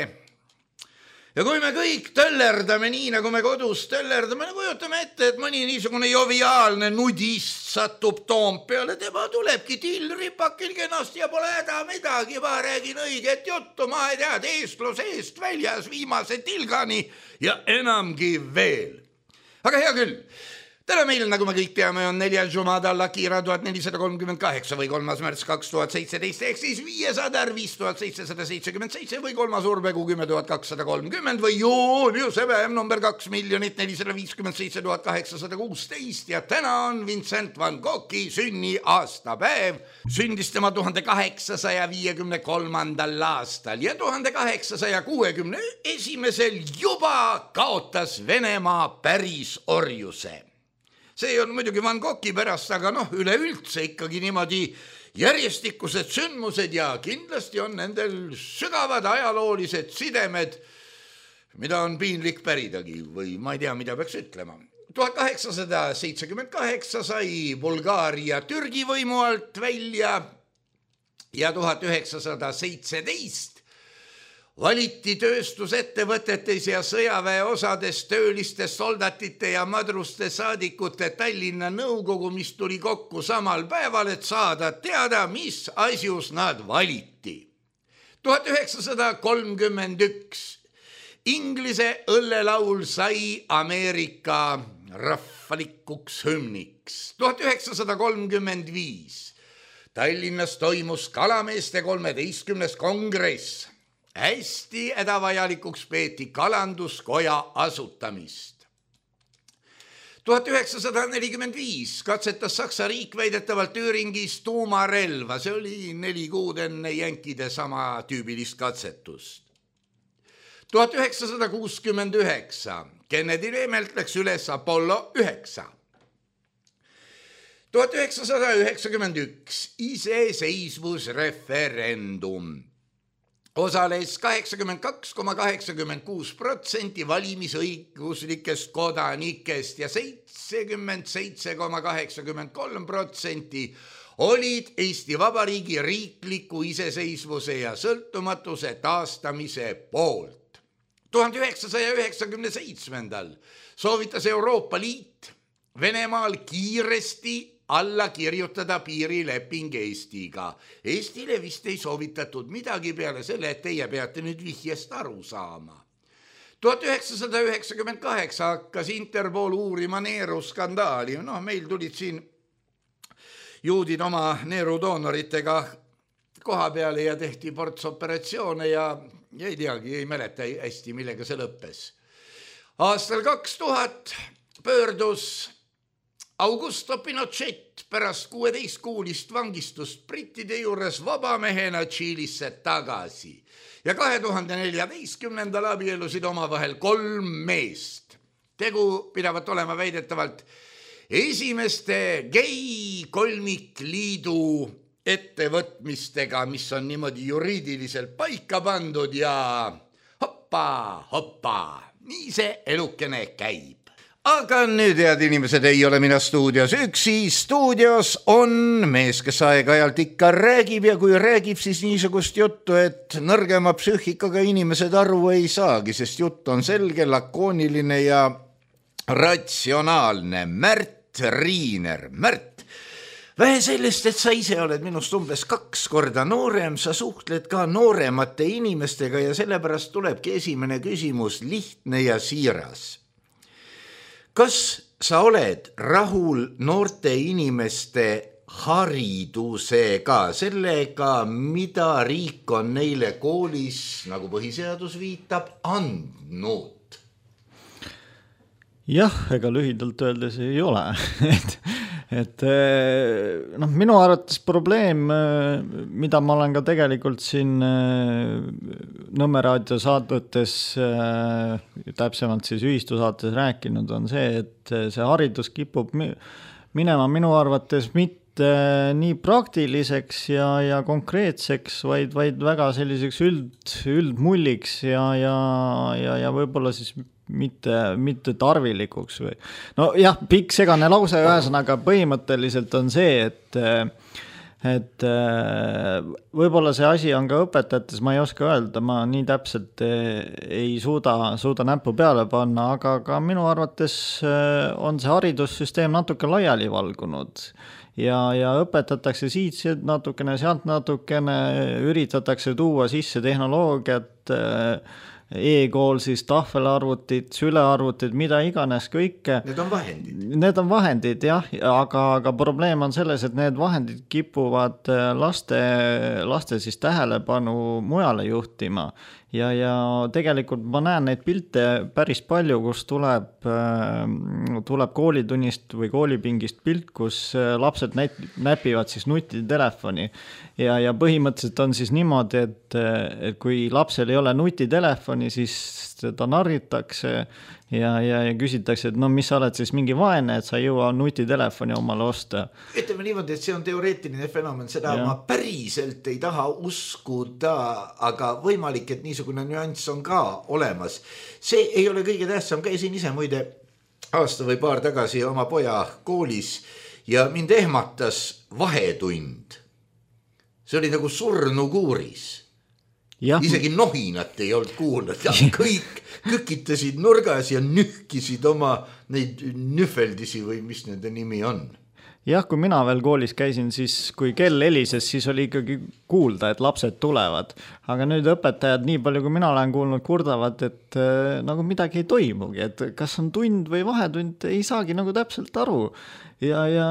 ja kui me kõik töllerdame nii, nagu me kodus töllerdame, nagu kujutame ette, et mõni niisugune joviaalne nudist satub Toompeale, tema tulebki tillripakil kenasti ja pole häda midagi, ma räägin õiget juttu, ma ei tea, eestlus eest väljas viimase tilgani ja enamgi veel. Aga hea küll. Täna meil, nagu me kõik teame, on neljal Jumada Lakira tuhat nelisada kolmkümmend kaheksa või kolmas märts kaks tuhat seitseteist ehk siis viiesadar viis tuhat seitsesada seitsekümmend seitse või kolmas Urbegu kümme tuhat kakssada kolmkümmend või Juliuse päev number kaks miljonit nelisada viiskümmend seitse tuhat kaheksasada kuusteist ja täna on Vincent van Goghi sünni aastapäev. Sündis tema tuhande kaheksasaja viiekümne kolmandal aastal ja tuhande kaheksasaja kuuekümne esimesel juba kaotas Venemaa päris orjuse. See on muidugi Van Goghi pärast, aga noh, üleüldse ikkagi niimoodi järjestikused sündmused ja kindlasti on nendel sügavad ajaloolised sidemed, mida on piinlik päridagi või ma ei tea, mida peaks ütlema. tuhat kaheksasada seitsekümmend kaheksa sai Bulgaaria Türgi võimu alt välja ja tuhat üheksasada seitseteist valiti tööstusettevõtetes ja sõjaväe osades tööliste soldatite ja madruste saadikute Tallinna nõukogu, mis tuli kokku samal päeval, et saada teada, mis asjus nad valiti. tuhat üheksasada kolmkümmend üks Inglise õllelaul sai Ameerika rahvalikuks hümniks. tuhat üheksasada kolmkümmend viis Tallinnas toimus kalameeste kolmeteistkümnes kongress. Hästi hädavajalikuks peeti kalanduskoja asutamist. tuhat üheksasada nelikümmend viis katsetas Saksa riik väidetavalt Tüüringis tuumarelva. See oli neli kuud enne jänkide sama tüübilist katsetust. tuhat üheksasada kuuskümmend üheksa Kennedy Reemelt läks üles Apollo üheksa. tuhat üheksasada üheksakümmend üks iseseisvusreferendum. Osales kaheksakümmend kaks koma kaheksakümmend kuus protsenti valimisõiguslikest kodanikest ja seitsekümmend seitse koma kaheksakümmend kolm protsenti olid Eesti Vabariigi riikliku iseseisvuse ja sõltumatuse taastamise poolt. tuhande üheksasaja üheksakümne seitsmendal soovitas Euroopa Liit Venemaal kiiresti alla kirjutada piirileping Eestiga. Eestile vist ei soovitatud midagi peale selle, et teie peate nüüd vihjest aru saama. tuhat üheksasada üheksakümmend kaheksa hakkas Interpol uurima neeruskandaali. No, meil tulid siin juudid oma neerudoonoritega koha peale ja tehti portsoperatsioone ja ei teagi, ei mäleta hästi, millega see lõppes. Aastal kaks tuhat pöördus Augusto Pinochet pärast kuueteist kuulist vangistust brittide juures vabamehena Tšiilisse tagasi ja kahe tuhande neljateistkümnendal abielusid omavahel kolm meest. Tegu pidavat olema väidetavalt esimeste gei kolmikliidu ettevõtmistega, mis on niimoodi juriidiliselt paika pandud ja hoppa, hoppa, nii see elukene käib. Aga nüüd, head inimesed, ei ole mina stuudios üksi. Stuudios on mees, kes aeg-ajalt ikka räägib ja kui räägib, siis niisugust juttu, et nõrgema psüühikaga inimesed aru ei saagi, sest jutt on selge, lakooniline ja ratsionaalne. Märt Riiner. Märt, vähe sellest, et sa ise oled minust umbes kaks korda noorem, sa suhtled ka nooremate inimestega ja sellepärast tulebki esimene küsimus lihtne ja siiras. Kas sa oled rahul noorte inimeste haridusega, sellega, mida riik on neile koolis, nagu põhiseadus viitab, andnud? Jah, ega lühidalt öeldes ei ole. et et noh, minu arvates probleem, mida ma olen ka tegelikult siin Nõmme raadio saadutes, täpsemalt siis ühistusaates rääkinud, on see, et see haridus kipub minema minu arvates mitte nii praktiliseks ja, ja konkreetseks, vaid, vaid väga selliseks üld, üldmulliks ja, ja, ja, ja võib-olla siis mitte, mitte tarvilikuks või. No jah, pikk segane lause ühesõnaga põhimõtteliselt on see, et et võib-olla see asi on ka õpetajates, ma ei oska öelda, ma nii täpselt ei suuda, suuda näppu peale panna, aga ka minu arvates on see haridussüsteem natuke laiali valgunud ja, ja õpetatakse siit natukene, sealt natukene, üritatakse tuua sisse tehnoloogiat, e-kool siis tahvelarvutid, sülearvutid, mida iganes kõike. Need on vahendid. Need on vahendid, jah, aga, aga probleem on selles, et need vahendid kipuvad laste, laste siis tähelepanu mujale juhtima. Ja, ja tegelikult ma näen neid pilte päris palju, kus tuleb, tuleb koolitunnist või koolipingist pilt, kus lapsed näpivad siis nutitelefoni. Ja, ja põhimõtteliselt on siis niimoodi, et, et kui lapsel ei ole nutitelefoni, siis ta narritakse ja, ja, ja küsitakse, et no mis sa oled siis mingi vaene, et sa ei jõua nutitelefoni omale osta. Ütleme niimoodi, et see on teoreetiline fenomen, seda ja. Ma päriselt ei taha uskuda, aga võimalik, et niisugune nüanss on ka olemas. See ei ole kõige tähtsam, käisin ise muide aasta või paar tagasi oma poja koolis ja mind ehmatas vahetund. See oli nagu surnukuuris. Ja. Isegi nohinat ei olnud kuulnud ja kõik kükitasid nurgas ja nühkisid oma neid nühveldisi või mis nende nimi on. Jah, kui mina veel koolis käisin, siis kui kell helises, siis oli ikkagi kuulda, et lapsed tulevad. Aga nüüd õpetajad, nii palju kui mina olen kuulnud, kurdavad, et äh, nagu midagi ei toimugi, et kas on tund või vahetund, ei saagi nagu täpselt aru. Ja, ja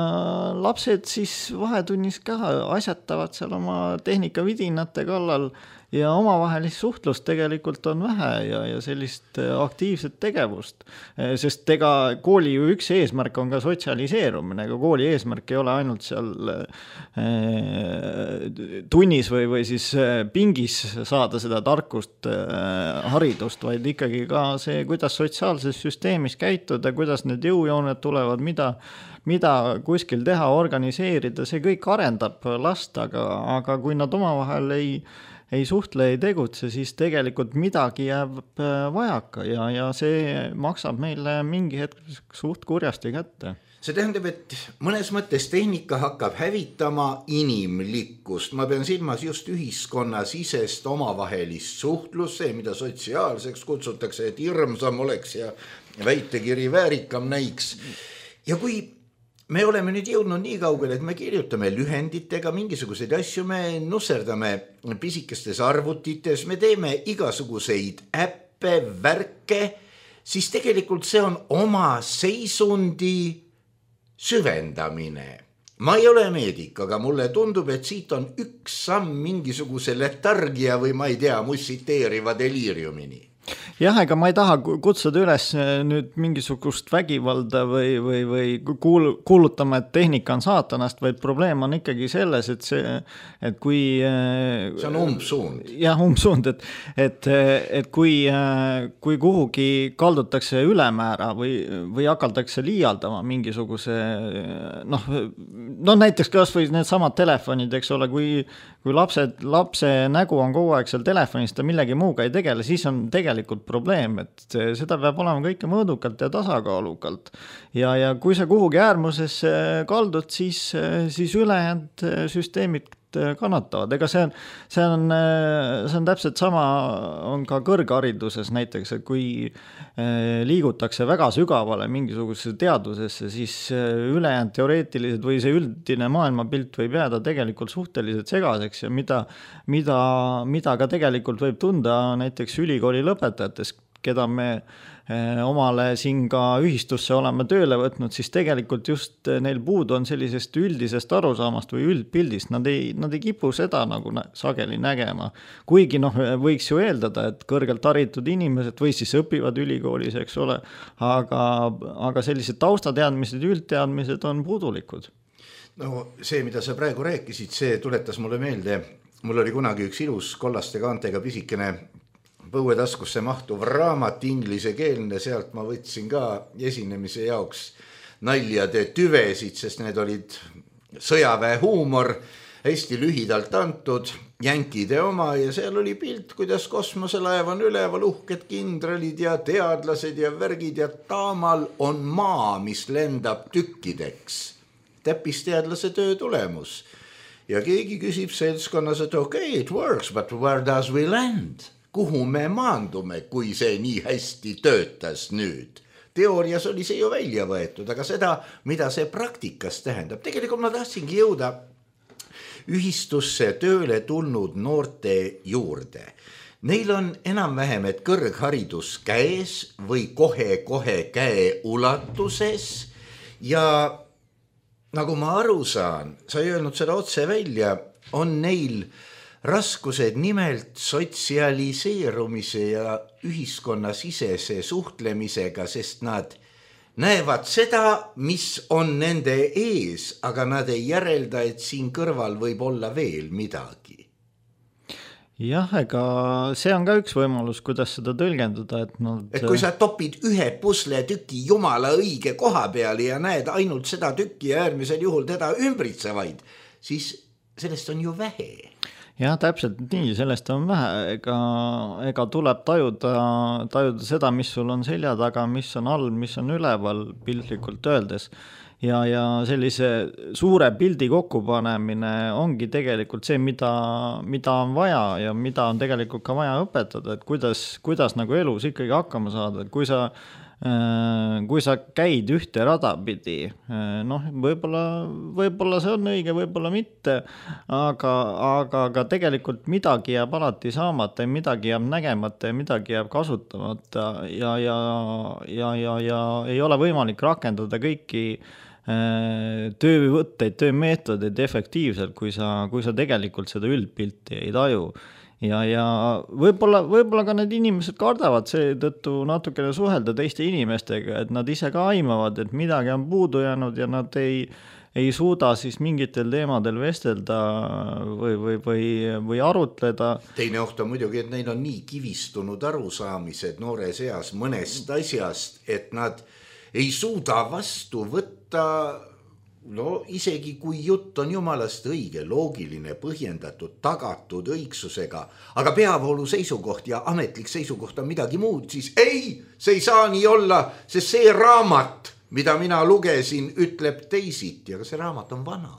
lapsed siis vahetunnis ka asjatavad seal oma tehnikavidinate kallal ja omavahelist suhtlust tegelikult on vähe ja, ja sellist aktiivset tegevust. Sest ega kooli ju üks eesmärk on ka sotsialiseerumine, ega kooli eesmärk ei ole ainult seal tunnis või, või siis pingis saada seda tarkust haridust, vaid ikkagi ka see, kuidas sotsiaalses süsteemis käituda, kuidas need jõujooned tulevad, mida mida kuskil teha, organiseerida, see kõik arendab last, aga, aga kui nad omavahel ei, ei suhtle, ei tegutse, siis tegelikult midagi jääb vajaka ja, ja see maksab meile mingi hetk suht kurjasti kätte. See tähendab, et mõnes mõttes tehnika hakkab hävitama inimlikkust. Ma pean silmas just ühiskonna sisest omavahelist suhtlus, see, mida sotsiaalseks kutsutakse, et hirmsam oleks ja väitekiri väärikam näiks. Ja kui me oleme nüüd jõudnud nii kaugele, et me kirjutame lühenditega mingisuguseid asju, me nusserdame pisikestes arvutites, me teeme igasuguseid äppe, värke, siis tegelikult see on oma seisundi süvendamine. Ma ei ole meedik, aga mulle tundub, et siit on üks samm mingisuguse letargia või ma ei tea, mussiteeriva deliiriumini. Jah, ega ma ei taha kutsuda üles nüüd mingisugust vägivalda või, või, või kuul, kuulutama, et tehnika on saatanast, vaid probleem on ikkagi selles, et see, et kui... See on umbsuund. Jah, umbsuund, et, et, et kui, kui kuhugi kaldutakse ülemäära või, või hakatakse liialdama mingisuguse, noh, no näiteks kas või need samad telefonid, eks ole, kui, kui lapsed, lapse nägu on kogu aeg seal telefonis, ta millegi muuga ei tegele, siis on tegelikult probleem, et seda peab olema kõike mõõdukalt ja tasakaalukalt. Ja, ja kui sa kuhugi äärmuses kaldud, siis, siis ülejäänud süsteemid kannatavad. Ega see on, see on, see on täpselt sama, on ka kõrghariduses näiteks, et kui liigutakse väga sügavale mingisugusesse teadusesse, siis ülejäänud teoreetilised või see üldine maailmapilt võib jääda tegelikult suhteliselt segaseks ja mida, mida, mida ka tegelikult võib tunda näiteks ülikooli lõpetajates, keda me omale siin ka ühistusse oleme tööle võtnud, siis tegelikult just neil puudu on sellisest üldisest arusaamast või üldpildist. Nad ei, nad ei kipu seda nagu sageli nägema. Kuigi noh, võiks ju eeldada, et kõrgelt haritud inimesed või siis õpivad ülikoolis, eks ole, aga, aga sellised taustateadmised, üldteadmised on puudulikud. No see, mida sa praegu rääkisid, see tuletas mulle meelde. Mul oli kunagi üks ilus kollaste kaantega pisikene põuetaskusse mahtuv raamat inglise keelne, sealt ma võtsin ka esinemise jaoks naljade tüvesid, sest need olid sõjaväe huumor, hästi lühidalt antud, jänkide oma ja seal oli pilt, kuidas kosmoselaev on üleval, uhked kindralid ja teadlased ja värgid ja taamal on maa, mis lendab tükkideks. Täppisteadlase töö tulemus. ja keegi küsib seltskonnas, et okei, okay, it works, but where does we land? Kuhu me maandume, kui see nii hästi töötas nüüd? Teoorias oli see ju välja võetud, aga seda, mida see praktikas tähendab. Tegelikult ma tahtsingi jõuda ühistusse tööle tulnud noorte juurde. Neil on enam-vähem, et kõrgharidus käes või kohe-kohe käe ulatuses ja nagu ma aru saan, sa ei öelnud seda otse välja, on neil raskused nimelt sotsialiseerumise ja ühiskonnasisese suhtlemisega, sest nad näevad seda, mis on nende ees, aga nad ei järelda, et siin kõrval võib olla veel midagi. Jah, ega see on ka üks võimalus, kuidas seda tõlgendada. Et, nad... et kui sa topid ühe pusle tüki jumala õige koha peale ja näed ainult seda tükki ja äärmisel juhul teda ümbritsevaid, siis sellest on ju vähe. Jah, täpselt nii, sellest on vähe, ega, ega tuleb tajuda, tajuda seda, mis sul on selja taga, mis on all, mis on üleval piltlikult öeldes. Ja, ja sellise suure pildi kokkupanemine ongi tegelikult see, mida, mida on vaja ja mida on tegelikult ka vaja õpetada, et kuidas, kuidas nagu elus ikkagi hakkama saada, et kui sa kui sa käid ühte rada pidi, noh, võib-olla, võib-olla see on õige, võib-olla mitte, aga, aga, aga tegelikult midagi jääb alati saamata ja midagi jääb nägemata ja midagi jääb kasutamata ja, ja, ja, ja, ja ei ole võimalik rakendada kõiki töövõtteid, töömeetodeid efektiivselt, kui sa, kui sa tegelikult seda üldpilti ei taju. Ja, ja võib-olla, võib-olla ka need inimesed kardavad seetõttu natukene suhelda teiste inimestega, et nad ise ka aimavad, et midagi on puudu jäänud ja nad ei, ei suuda siis mingitel teemadel vestelda või, või, või, või arutleda. Teine oht on muidugi, et neil on nii kivistunud arusaamised noores eas mõnest asjast, et nad ei suuda vastu võtta. No isegi kui jutt on jumalast õige, loogiline, põhjendatud, tagatud õigsusega, aga peavoolu seisukoht ja ametlik seisukoht on midagi muud, siis ei, see ei saa nii olla, sest see raamat, mida mina lugesin, ütleb teisiti, aga see raamat on vana.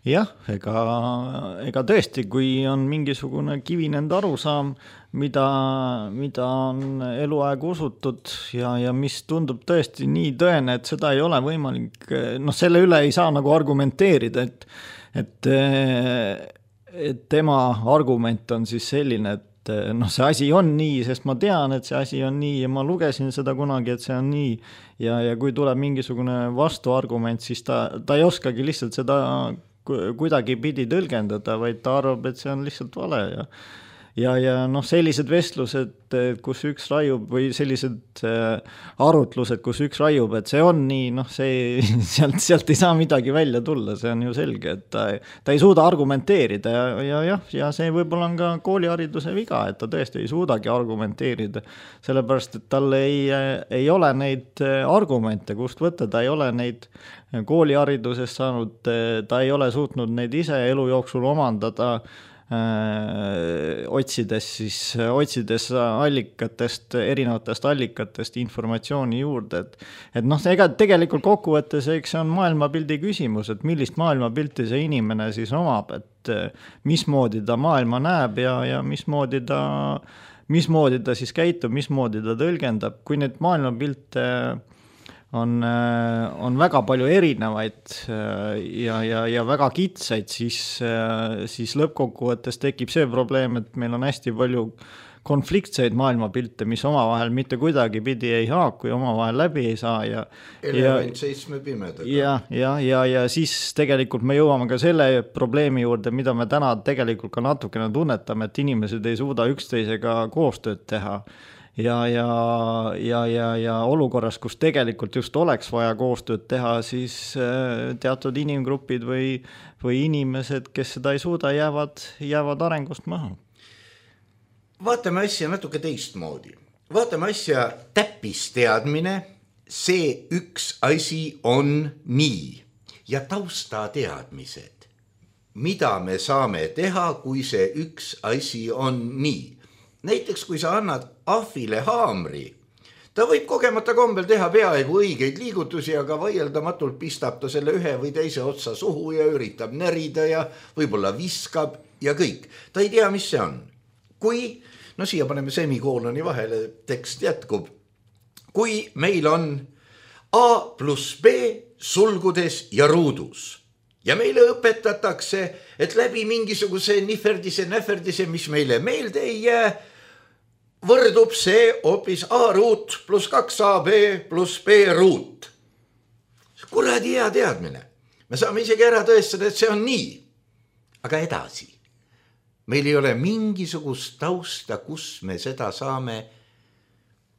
Jah, ega, ega tõesti, kui on mingisugune kivinend arusaam, mida, mida on eluaeg usutud ja, ja mis tundub tõesti nii tõene, et seda ei ole võimalik, noh, selle üle ei saa nagu argumenteerida, et, et, et tema argument on siis selline, et noh, see asi on nii, sest ma tean, et see asi on nii ja ma lugesin seda kunagi, et see on nii ja, ja kui tuleb mingisugune vastuargument, siis ta, ta ei oskagi lihtsalt seda kuidagi pidi tõlgendada, vaid ta arvab, et see on lihtsalt vale ja ja, ja noh, sellised vestlused, kus üks raiub või sellised arutlused, kus üks raiub, et see on nii, noh, see, sealt, sealt ei saa midagi välja tulla, see on ju selge, et ta, ta ei suuda argumenteerida ja, ja, ja, ja see võib-olla on ka koolihariduse viga, et ta tõesti ei suudagi argumenteerida, sellepärast, et tal ei, ei ole neid argumente, kust võtta, ta ei ole neid kooliharidusest saanud, ta ei ole suutnud neid ise elu jooksul omandada, otsides siis, otsides allikatest, erinevatest allikatest informatsiooni juurde, et, et noh, ega tegelikult kokkuvõttes, eks see on maailmapildi küsimus, et millist maailmapilti see inimene siis omab, et mismoodi ta maailma näeb ja, ja mismoodi ta, mismoodi ta siis käitub, mismoodi ta tõlgendab, kui need maailmapilte on, on väga palju erinevaid ja, ja, ja väga kitsaid, siis, siis lõppkokkuvõttes tekib see probleem, et meil on hästi palju konfliktseid maailmapilte, mis omavahel mitte kuidagi pidi ei haaku ja omavahel läbi ei saa. Ja, Element seitsme pimedaga. Ja, ja, ja, ja siis tegelikult me jõuame ka selle probleemi juurde, mida me täna tegelikult ka natukene tunnetame, et inimesed ei suuda üksteisega koostööd teha. Ja, ja, ja, ja, ja olukorras, kus tegelikult just oleks vaja koostööd teha, siis teatud inimgrupid või, või inimesed, kes seda ei suuda, jäävad, jäävad arengust maha. Vaatame asja natuke teistmoodi. Vaatame asja täppisteadmine, see üks asi on nii ja taustateadmised. Mida me saame teha, kui see üks asi on nii? Näiteks, kui sa annad ahvile haamri, ta võib kogemata kombel teha peaaegu õigeid liigutusi, aga vaieldamatult pistab ta selle ühe või teise otsa suhu ja üritab närida ja võib-olla viskab ja kõik. Ta ei tea, mis see on. Kui, no siia paneme semikooloni vahele, tekst jätkub. Kui meil on A pluss B sulgudes ja ruudus ja meile õpetatakse, et läbi mingisuguse niferdise, näferdise, mis meile meelde ei jää, võrdub see hoopis A ruut pluss kaks A B pluss B ruut. Kuradi hea teadmine. Me saame isegi ära tõestada, et see on nii. Aga edasi. Meil ei ole mingisugust tausta, kus me seda saame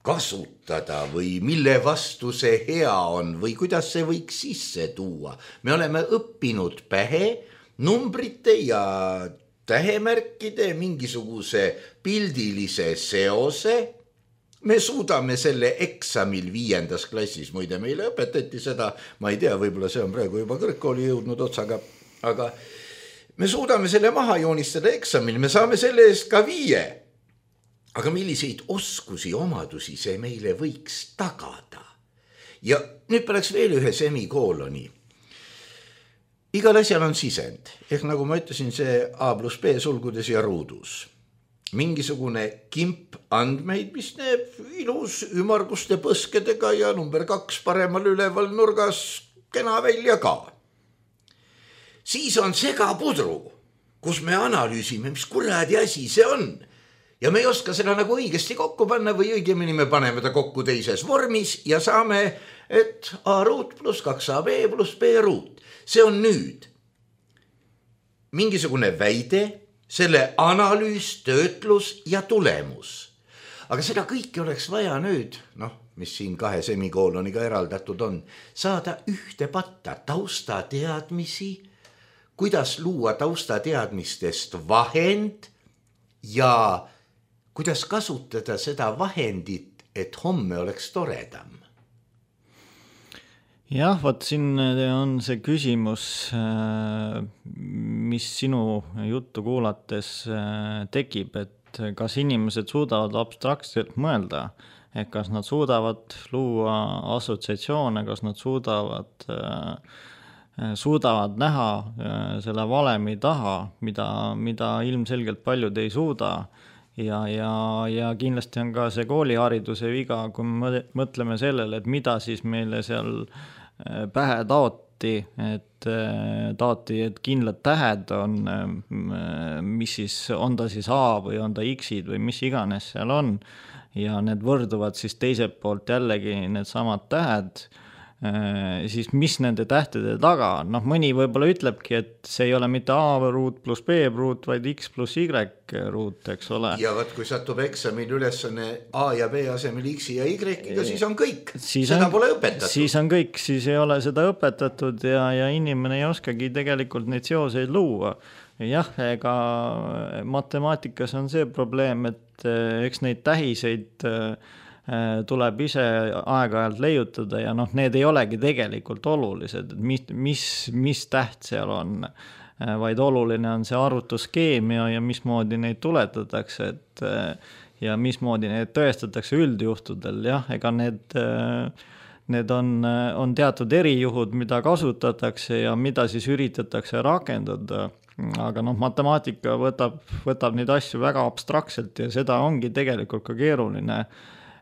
kasutada või mille vastu see hea on või kuidas see võiks sisse tuua. Me oleme õppinud pähe numbrite ja tähemärkide mingisuguse pildilise seose. Me suudame selle eksamil viiendas klassis, muide meile õpetati seda, ma ei tea, võib-olla see on praegu juba kõrgkooli jõudnud otsaga, aga me suudame selle maha joonistada eksamil, me saame selle eest ka viie. Aga milliseid oskusi, omadusi see meile võiks tagada? Ja nüüd peaks veel ühe semikooloni. Igal asjal on sisend, ehk nagu ma ütlesin, see A pluss B sulgudes ja ruudus. Mingisugune kimp andmeid, mis näeb ilus ümarguste põskedega ja number kaks paremal üleval nurgas kena välja ka. Siis on segapudru, kus me analüüsime, mis kuradi asi see on. Ja me ei oska seda nagu õigesti kokku panna või õigemini me paneme ta kokku teises vormis ja saame, et A ruut pluss kaks A B pluss B ruut. See on nüüd mingisugune väide, selle analüüs, töötlus ja tulemus. Aga seda kõike oleks vaja nüüd, noh, mis siin kahe semikooloniga eraldatud on, saada ühte patta taustateadmisi, kuidas luua taustateadmistest vahend ja kuidas kasutada seda vahendit, et homme oleks toredam? Jah, võt siin on see küsimus, mis sinu juttu kuulates tekib, et kas inimesed suudavad abstraktselt mõelda, et kas nad suudavad luua assotsiatsioone, kas nad suudavad, suudavad näha selle valemi taha, mida, mida ilmselgelt paljud ei suuda. Ja, ja, ja kindlasti on ka see koolihariduse viga, kui me mõtleme sellele, et mida siis meile seal pähe taoti, et taoti, et kindlad tähed on, mis siis on ta siis A või on ta X-id või mis iganes seal on. Ja need võrduvad siis teiselt poolt jällegi need samad tähed. Siis mis nende tähtede taga on? Noh, mõni võib-olla ütlebki, et see ei ole mitte A ruut pluss B ruut, vaid X pluss Y ruut, eks ole. Ja võt, kui satub eksamil ülesanne A ja B asemel X ja Y-ga, siis on kõik. Siis seda on, pole õpetatud. Siis on kõik, siis ei ole seda õpetatud ja, ja inimene ei oskagi tegelikult neid seoseid luua. Jah, ega matemaatikas on see probleem, et eks neid tähiseid tuleb ise aeg-ajalt leiutada ja noh, need ei olegi tegelikult olulised, mis, mis, mis täht seal on, vaid oluline on see arvutusskeem ja, ja mismoodi neid tuletatakse, et ja mismoodi neid tõestatakse üldjuhtudel, jah, ega need, need on, on teatud erijuhud, mida kasutatakse ja mida siis üritatakse rakendada, aga noh, matemaatika võtab, võtab neid asju väga abstraktselt ja seda ongi tegelikult ka keeruline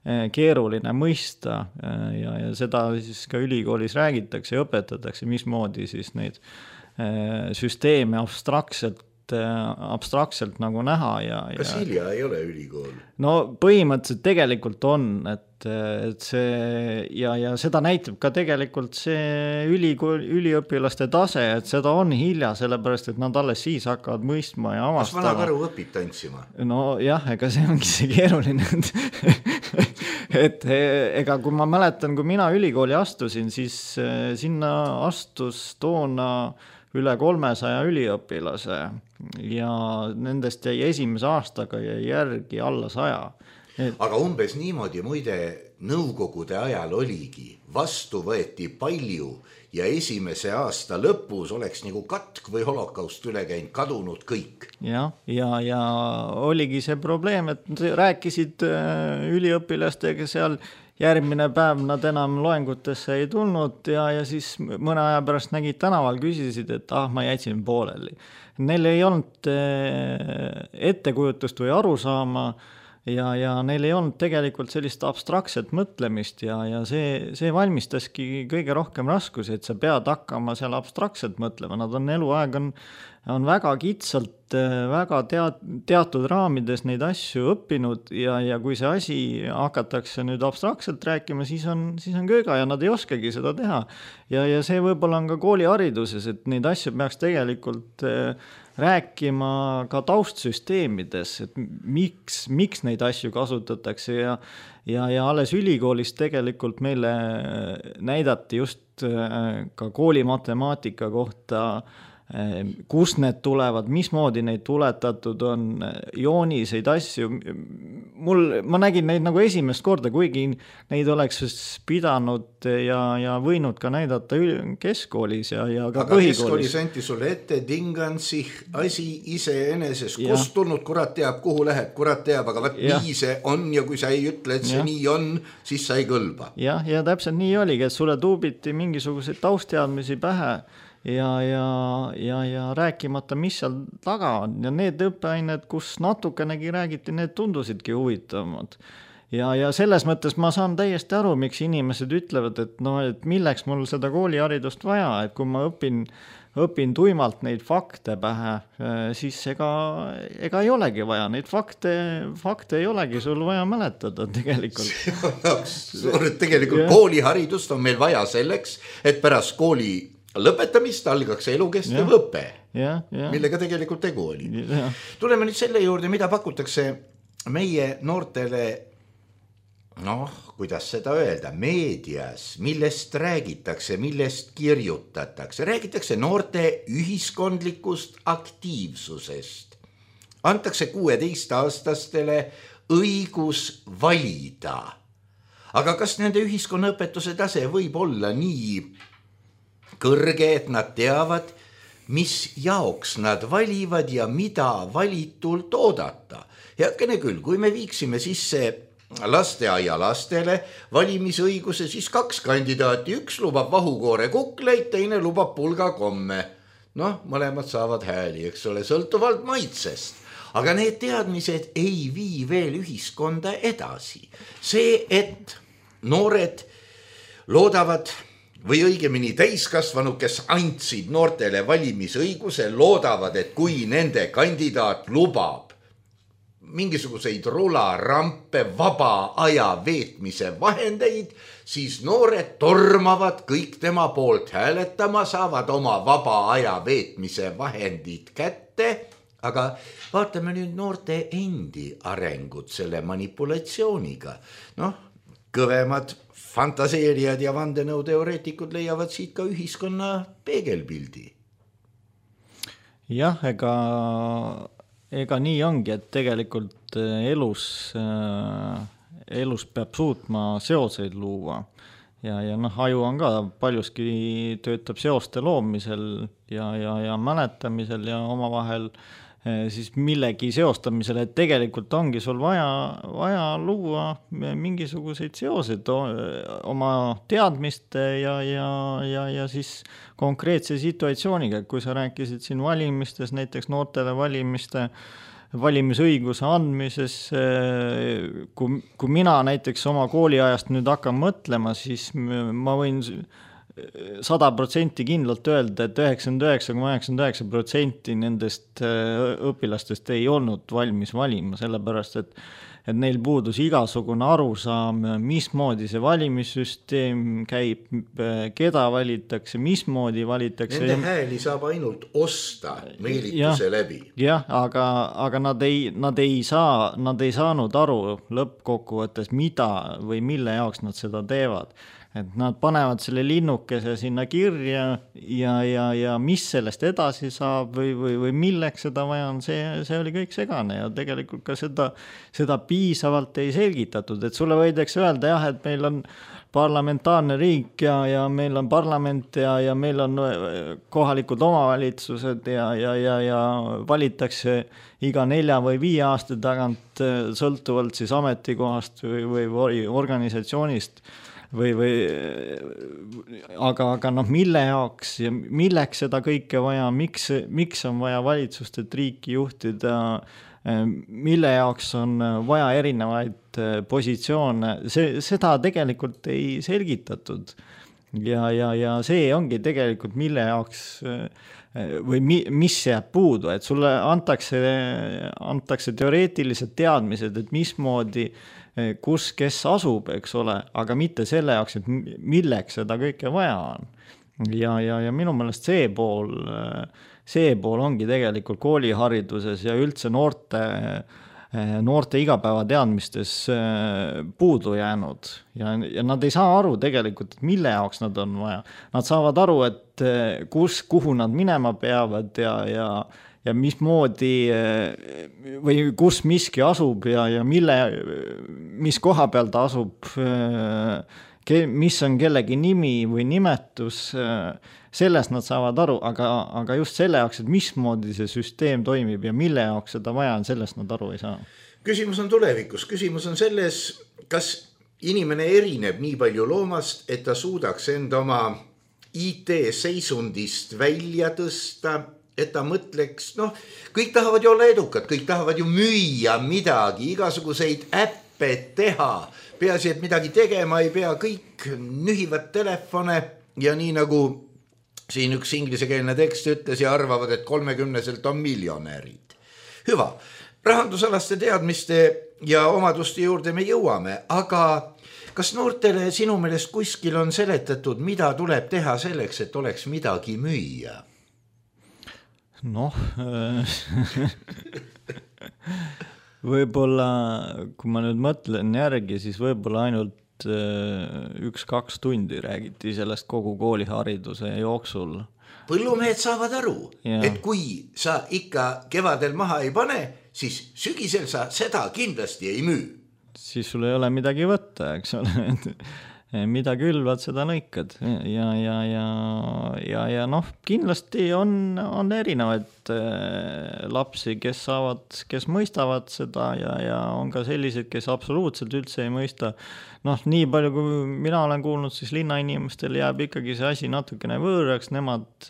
keeruline mõista ja, ja seda siis ka ülikoolis räägitakse ja õpetatakse, mismoodi siis neid süsteeme abstraktselt, abstraktselt nagu näha. Ja, Kas ja, Hilja ei ole ülikool? No põhimõtteliselt tegelikult on, et, et see ja, ja seda näitab ka tegelikult see ülikool, üliõpilaste tase, et seda on hilja, sellepärast, et nad alles siis hakkavad mõistma ja avastama. Kas vana karu õpib tantsima? No jah, ega see ongi see keeruline, et ega kui ma mäletan, kui mina ülikooli astusin, siis sinna astus toona üle kolmesaja üliõpilase ja nendest jäi esimese aastaga jäi järgi alla saja. Et... Aga umbes niimoodi muide nõukogude ajal oligi, vastu võeti palju ja esimese aasta lõpus oleks nagu katk või holokaust üle käinud, kadunud kõik. Ja, ja, ja oligi see probleem, et rääkisid üliõpilastega seal järgmine päev nad enam loengutesse ei tulnud ja, ja siis mõne aja pärast nägid tänaval, küsisid, et ah, ma jätsin pooleli. Neil ei olnud ettekujutust või arusaama ja, ja neil ei olnud tegelikult sellist abstraktset mõtlemist ja, ja see, see valmistaski kõige rohkem raskusi, et sa pead hakkama seal abstraktselt mõtlema. Nad on eluaeg on, on väga kitsalt, väga tead, teatud raamides neid asju õppinud ja, ja kui see asi hakatakse nüüd abstraktselt rääkima, siis on, siis on kööga ja nad ei oskagi seda teha. Ja, ja see võib-olla on ka koolihariduses, et neid asju peaks tegelikult rääkima ka taustsüsteemides, et miks, miks neid asju kasutatakse ja, ja, ja alles ülikoolis tegelikult meile näidati just ka koolimatemaatika kohta, kus need tulevad, mismoodi neid tuletatud on, jooniseid asju. Mul, ma nägin neid nagu esimest korda, kuigi neid oleks pidanud ja, ja võinud ka näidata keskoolis ja, ja ka aga põhikoolis. Aga keskoolis anti sulle ette Dingansih asi iseeneses, kus tulnud, kurat teab, kuhu läheb, kurat teab, aga võt ja. Nii see on ja kui sa ei ütle, et see ja. Nii on, siis sa ei kõlba. Ja, ja täpselt nii oligi, et sulle tuubiti mingisuguseid taustteadmisi pähe ja, ja, ja, ja rääkimata, mis seal taga on. Ja need õppeained, kus natukenegi räägiti, need tundusidki huvitavamad. Ja, ja selles mõttes ma saan täiesti aru, miks inimesed ütlevad, et, no, et milleks mul seda kooliharidust vaja, et kui ma õpin, õpin tuimalt neid fakte pähe, siis ega, ega ei olegi vaja. Neid fakte, fakte ei olegi sul vaja mäletada tegelikult. tegelikult kooliharidust on meil vaja selleks, et pärast kooli lõpetamist algaks elukestev õpe, ja, ja. millega tegelikult tegu oli. Ja. Tuleme nüüd selle juurde, mida pakutakse meie noortele, noh, kuidas seda öelda, meedias, millest räägitakse, millest kirjutatakse. Räägitakse noorte ühiskondlikust aktiivsusest. Antakse kuueteistaastastele õigus valida. Aga kas nende ühiskonnaõpetuse tase võib olla nii kõrge, et nad teavad, mis jaoks nad valivad ja mida valitult oodata. Heakene küll, kui me viiksime sisse lasteaia lastele valimisõiguse, siis kaks kandidaati, üks lubab vahukoore kukleid, teine lubab pulga komme. Noh, mõlemad saavad hääli, eks ole, sõltuvalt maitsest. Aga need teadmised ei vii veel ühiskonda edasi. See, et noored loodavad või õigemini täiskasvanud, kes andsid noortele valimisõiguse, loodavad, et kui nende kandidaat lubab mingisuguseid rularampe, vaba aja veetmise vahendeid, siis noored tormavad kõik tema poolt hääletama, saavad oma vaba aja veetmise vahendid kätte, aga vaatame nüüd noorte endi arengut selle manipulatsiooniga. Noh, kõvemad fantaseerijad ja vandenõuteoreetikud leiavad siit ka ühiskonna peegelpildi. Jah, ega, ega nii ongi, et tegelikult elus, elus peab suutma seoseid luua. Ja, ja noh, aju on ka paljuski töötab seoste loomisel ja, ja, ja mäletamisel ja omavahel siis millegi seostamisel, et tegelikult ongi sul vaja, vaja luua mingisuguseid seoseid oma teadmiste ja, ja, ja, ja siis konkreetse situatsiooniga. Kui sa rääkisid siin valimistes, näiteks noortele valimiste, valimisõiguse andmises, kui, kui mina näiteks oma kooliajast nüüd hakkan mõtlema, siis ma võin sada protsenti kindlalt öelda, et üheksakümmend üheksa koma üheksakümmend üheksa protsenti nendest õpilastest ei olnud valmis valima, sellepärast, et, et neil puudus igasugune arusaam, mismoodi see valimissüsteem käib, keda valitakse, mismoodi valitakse. Nende hääli saab ainult osta meelituse ja, läbi. Jah, aga, aga nad, ei, nad, ei saa, nad ei saanud aru lõppkokkuvõttes, mida või mille jaoks nad seda teevad. et nad panevad selle linnukese sinna kirja ja, ja, ja mis sellest edasi saab või, või, või milleks seda vaja on, see, see oli kõik segane ja tegelikult ka seda, seda piisavalt ei selgitatud, et sulle võidakse öelda jah, et meil on parlamentaarne riik ja, ja meil on parlament ja, ja meil on kohalikud omavalitsused ja, ja, ja, ja valitakse iga nelja või viie aasta tagant sõltuvalt siis ametikohast või, või organisatsioonist või, või aga, aga noh, mille jaoks ja milleks seda kõike vaja, miks, miks on vaja valitsust, et riiki juhtida, mille jaoks on vaja erinevaid positsioone, see, seda tegelikult ei selgitatud ja, ja, ja see ongi tegelikult mille jaoks või mi, mis jääb puudu, et sulle antakse, antakse teoreetilised teadmised, et mismoodi, kus, kes asub, eks ole, aga mitte selle jaoks, et milleks seda kõike vaja on. Ja, ja, ja minu meelest see pool, see pool ongi tegelikult koolihariduses ja üldse noorte, noorte igapäevateadmistes puudu jäänud ja, ja nad ei saa aru tegelikult, et mille jaoks nad on vaja. Nad saavad aru, et kus, kuhu nad minema peavad ja, ja, ja mismoodi või kus miski asub ja, ja mille, mis koha peal ta asub, mis on kellegi nimi või nimetus, sellest nad saavad aru, aga, aga just selle jaoks, et mismoodi see süsteem toimib ja mille jaoks seda vaja on, sellest nad aru ei saa. Küsimus on tulevikus, küsimus on selles, kas inimene erineb nii palju loomast, et ta suudaks enda oma I T-seisundist välja tõsta, et ta mõtleks, noh, kõik tahavad ju olla edukad, kõik tahavad ju müüa midagi, igasuguseid äppe teha, peaasi, et midagi tegema ei pea, kõik nühivad telefone ja nii nagu siin üks inglisekeelne tekst ütles ja arvavad, et kolmekümneselt on miljonärid. Hüva, rahandusalaste teadmiste ja omaduste juurde me jõuame, aga kas noortele sinu meelest kuskil on seletatud, mida tuleb teha selleks, et oleks midagi müüa? Noh, võib-olla, kui ma nüüd mõtlen järgi, siis võib-olla ainult üks-kaks tundi räägiti sellest kogu koolihariduse jooksul. Põllumehed saavad aru, ja. Et kui sa ikka kevadel maha ei pane, siis sügisel sa seda kindlasti ei müü. Siis sul ei ole midagi võtta, eks ole. Mida külvad, seda lõikad ja, ja, ja, ja, ja noh, kindlasti on, on erinevaid lapsi, kes saavad, kes mõistavad seda ja, ja on ka sellised, kes absoluutselt üldse ei mõista. Noh, nii palju, kui mina olen kuulnud, siis linnainimestel jääb ikkagi see asi natukene võõraks, nemad,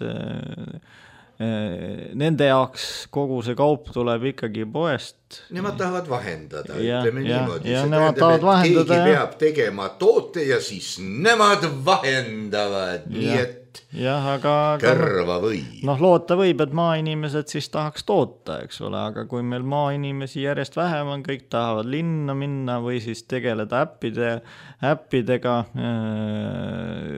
nende jaoks kogu see kaup tuleb ikkagi poest. Nemad tahavad vahendada, ja, ütleme ja, niimoodi. Ja, see nemad tähendab, et keegi vahendada, peab tegema toote ja siis nemad vahendavad, ja, nii et jah, aga, kõrva või. Noh, loota võib, et maainimesed siis tahaks toota, eks ole, aga kui meil maainimesi järjest vähem on, kõik tahavad linna minna või siis tegeleda äppide, äppidega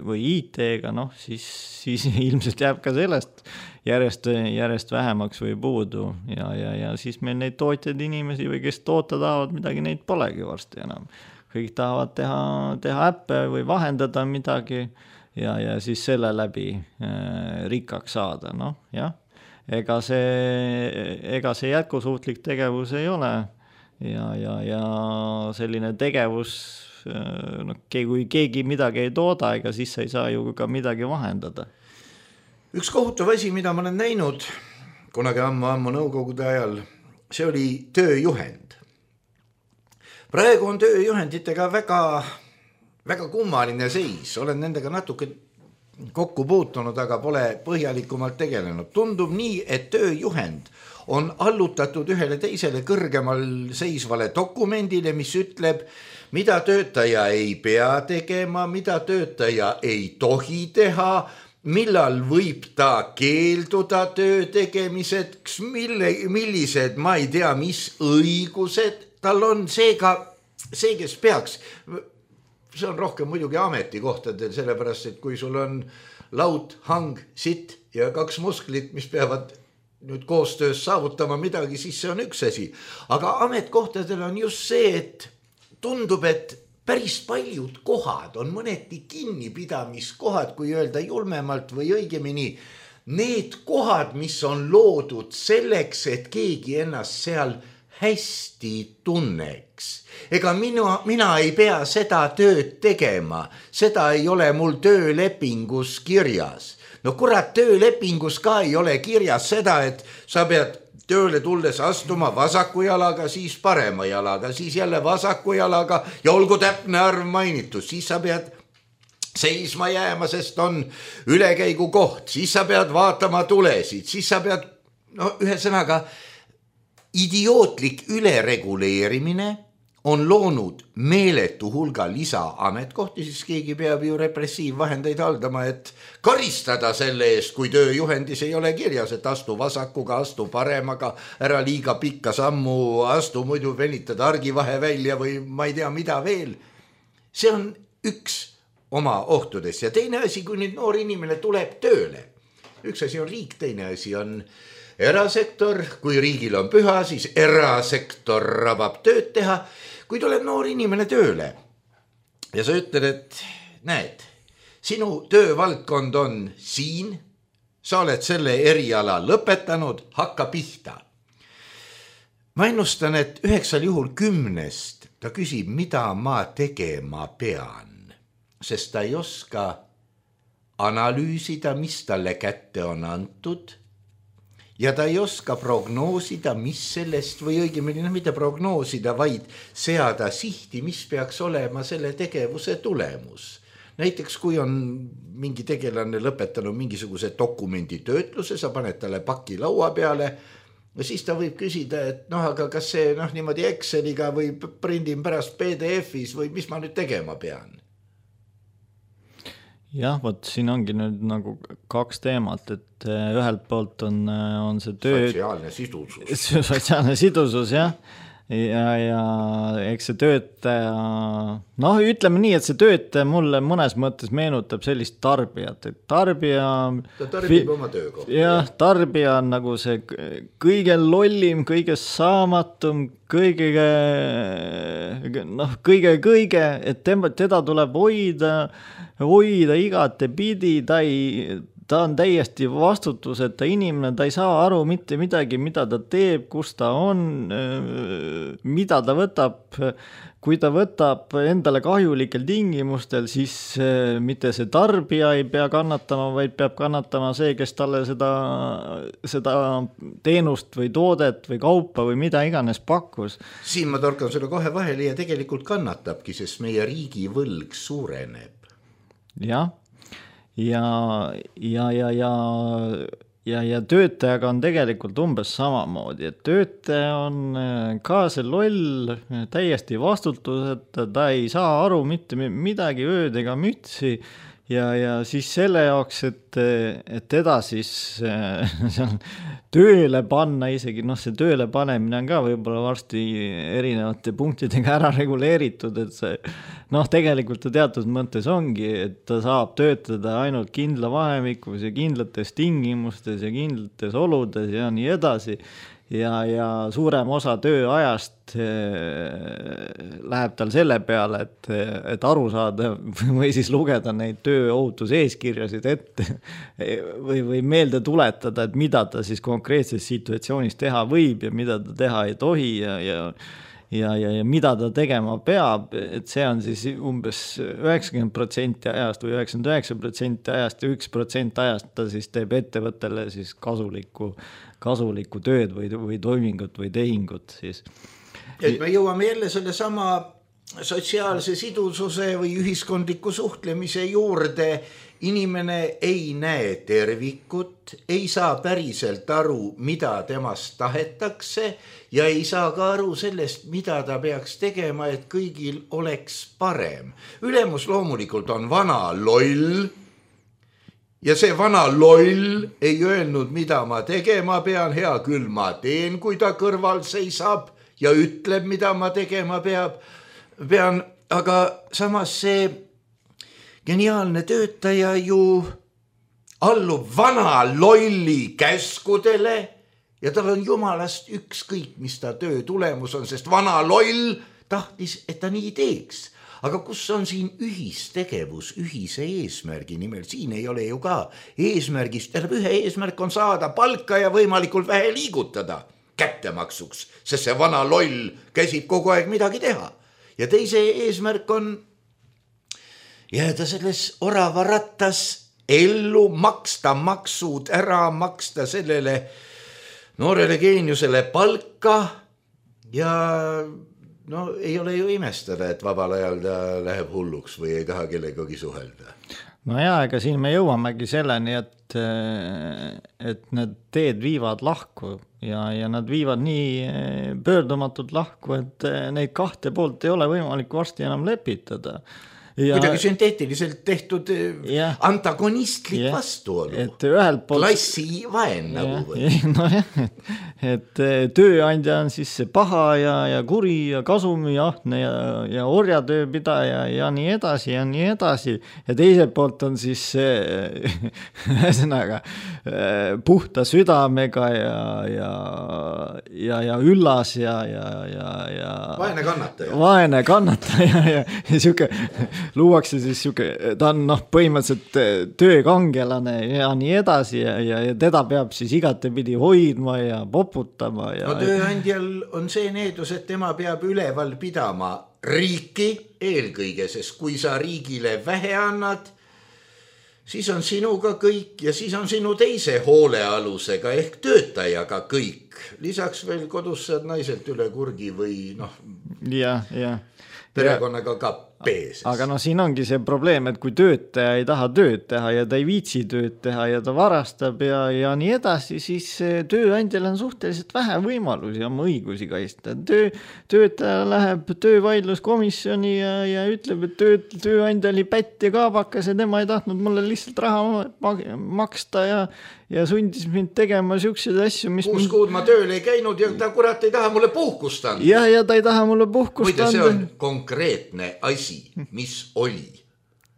või I T-ga, noh, siis, siis ilmselt jääb ka sellest järjest, järjest vähemaks või puudu ja, ja, ja siis meil neid tootjaid inimesi või kes toota tahavad midagi, neid polegi varsti enam. Kõik tahavad teha, teha äppe või vahendada midagi ja, ja siis selle läbi äh, rikkaks saada, noh, jah. Ega see, ega see jätkusuutlik tegevus ei ole ja, ja, ja selline tegevus, äh, no, kui keegi midagi ei tooda, ega siis ei saa ju ka midagi vahendada. Üks kohutav asi, mida ma olen näinud kunagi ammu-ammu nõukogude ajal, see oli tööjuhend. Praegu on tööjuhenditega väga, väga kummaline seis. Olen nendega natuke kokku puutunud, aga pole põhjalikumalt tegelenud. Tundub nii, et tööjuhend on allutatud ühele teisele kõrgemal seisvale dokumendile, mis ütleb, mida töötaja ei pea tegema, mida töötaja ei tohi teha, millal võib ta keelduda töö tegemiseks, mille, millised, ma ei tea, mis õigused tal on, seega see, kes peaks, see on rohkem muidugi ametikohtadel, sellepärast, et kui sul on laud, hang, sitt ja kaks musklit, mis peavad nüüd koostöös saavutama midagi, siis see on üks asi. Aga ametkohtadel on just see, et tundub, et päris paljud kohad on mõneti kinnipidamiskohad, kui öelda julmemalt või õigemini need kohad, mis on loodud selleks, et keegi ennast seal hästi tunneks. Ega mina, mina ei pea seda tööd tegema, seda ei ole mul töölepingus kirjas. No kurat, töölepingus ka ei ole kirjas seda, et sa pead tööle tulles astuma vasaku jalaga, siis parema jalaga, siis jälle vasaku jalaga ja olgu täpne arv mainitud, siis sa pead seisma jääma, sest on ülekäigu koht, siis sa pead vaatama tulesid, siis sa pead, no ühesõnaga, idiootlik ülereguleerimine on loonud meeletu hulga lisaametkohti, siis keegi peab ju repressiivvahendeid haldama, et karistada selle eest, kui tööjuhendis ei ole kirjas, et astu vasakuga, astu paremaga, ära liiga pikka sammu, astu muidu venitad argivahe välja või ma ei tea mida veel. See on üks oma ohtudest ja teine asi, kui nüüd noor inimene tuleb tööle. Üks asi on riik, teine asi on erasektor, kui riigil on püha, siis erasektor rabab tööd teha. Kui tuleb noor inimene tööle ja sa ütled, et näed, sinu töövaldkond on siin, sa oled selle eriala lõpetanud, hakka pihta. Ma ennustan, et üheksal juhul kümnest ta küsib, mida ma tegema pean, sest ta ei oska analüüsida, mis talle kätte on antud, ja ta ei oska prognoosida, mis sellest või õigemini no, mitte prognoosida, vaid seada sihti, mis peaks olema selle tegevuse tulemus. Näiteks kui on mingi tegelane lõpetanud mingisuguse dokumendi töötluse, sa paned talle paki laua peale ja siis ta võib küsida, et noh, aga kas see noh, niimoodi Exceliga või prindin pärast P D F-is või mis ma nüüd tegema pean? Jah, võt siin ongi nüüd nagu kaks teemat, et ühelt poolt on, on see töö... Sotsiaalne sidusus. Sotsiaalne sidusus, jah. Ja, ja eks see töötaja... Noh, ütleme nii, et see töötaja mulle mõnes mõttes meenutab sellist tarbijat, et tarbija... Ta tarbib oma töökohta. Jah, tarbija on nagu see kõige lollim, kõige saamatum, kõige, noh, kõige, kõige, et tema, teda tuleb hoida... hoida igate pidi, ta, ei, ta on täiesti vastutuseta inimene, ta ei saa aru mitte midagi, mida ta teeb, kus ta on, mida ta võtab, kui ta võtab endale kahjulikel tingimustel, siis mitte see tarbija ei pea kannatama, vaid peab kannatama see, kes talle seda, seda teenust või toodet või kaupa või mida iganes pakkus. Siin ma torkan sulle kohe vahele ja tegelikult kannatabki, sest meie riigi võlg suureneb. Jah, ja, ja, ja, ja, ja, ja töötajaga on tegelikult umbes samamoodi, et töötaja on ka see loll, täiesti vastutuseta, ta ei saa aru mitte midagi ööd ega mütsi ja, ja siis selle jaoks, et, et teda siis seal tööle panna isegi, noh see tööle panemine on ka võib-olla varsti erinevate punktidega ära reguleeritud, et see noh tegelikult ta teatud mõttes ongi, et ta saab töötada ainult kindla vahemikus ja kindlates tingimustes ja kindlates oludes ja nii edasi ja, ja suurem osa tööajast läheb tal selle peale, et, et aru saada või siis lugeda neid tööohutuse eeskirjasid ette või, või meelde tuletada, et mida ta siis konkreetses situatsioonis teha võib ja mida ta teha ei tohi ja, ja Ja, ja, ja mida ta tegema peab, et see on siis umbes üheksakümmend protsenti ajast või üheksakümmend üheksa protsenti ajast ja üks protsent ajast ta siis teeb ettevõttele siis kasulikku, kasulikku tööd või, või toimingut või tehingut siis. Et me jõuame jälle selle sama sotsiaalse sidususe või ühiskondliku suhtlemise juurde. Inimene ei näe tervikut, ei saa päriselt aru, mida temast tahetakse ja ei saa ka aru sellest, mida ta peaks tegema, et kõigil oleks parem. Ülemus loomulikult on vana loll ja see vana loll ei öelnud, mida ma tegema pean, hea küll ma teen, kui ta kõrval seisab ja ütleb, mida ma tegema peab, pean, aga samas see geniaalne töötaja ju allub vana lolli käskudele ja tal on jumalast ükskõik, mis ta töö tulemus on, sest vana loll tahtis, et ta nii teeks. aga kus on siin ühistegevus ühise eesmärgi nimel, siin ei ole ju ka eesmärgist, tähendab ühe eesmärk on saada palka ja võimalikult vähe liigutada kättemaksuks, sest see vana loll käsib kogu aeg midagi teha. Ja teise eesmärk on jääda selles oravarattas ellu, maksta maksud ära, maksta sellele noorele geeniusele palka ja no ei ole ju imestada, et vabal ajal ta läheb hulluks või ei taha kellegagi suhelda. No jaa, ega siin me jõuamegi selleni, et, et need teed viivad lahku ja, ja nad viivad nii pöördumatult lahku, et neid kahte poolt ei ole võimalik varsti enam lepitada. Ja, kuidagi sünteetiliselt tehtud ja, antagonistlik ja, vastuolu. Et ühelt poolt klassi vaen nagu või. No jah, et, et tööandja on siis see paha ja, ja kuri ja kasumi ahne ja, ja orjatööpidaja ja nii edasi ja nii edasi. Ja teiselt poolt on siis ühesõnaga puhta südamega ja, ja, ja, ja üllas ja, ja, ja, ja vaene kannataja. Vaene kannataja ja, ja siuke luuakse siis siuke, ta on noh, põhimõtteliselt töökangelane ja nii edasi ja, ja, ja teda peab siis igatepidi hoidma ja poputama. Ja, no tööandjal on see needus, et tema peab üleval pidama riiki eelkõige, sest kui sa riigile vähe annad, siis on sinuga kõik ja siis on sinu teise hoolealusega ehk töötajaga kõik. Lisaks veel kodus saad naiselt üle kurgi või noh, ja, ja. perekonnaga ka peeses. Aga no siin ongi see probleem, et kui töötaja ei taha tööd teha ja ta ei viitsi tööd teha ja ta varastab ja, ja nii edasi, siis tööandjal on suhteliselt vähe võimalusi oma õigusi kaitsta. Töö, töötaja läheb töövaidluskomisjoni ja, ja ütleb, et töö, tööandja oli pätt ja kaabakas ja tema ei tahtnud mulle lihtsalt raha maksta ja, ja sundis mind tegema siukseid asju, mis kuus kuud ma tööl ei käinud ja ta kurat ei taha mulle puhkust anda. Ja, ja ta ei taha mulle puhkust anda. Muide, see on konkreetne asi, mis oli.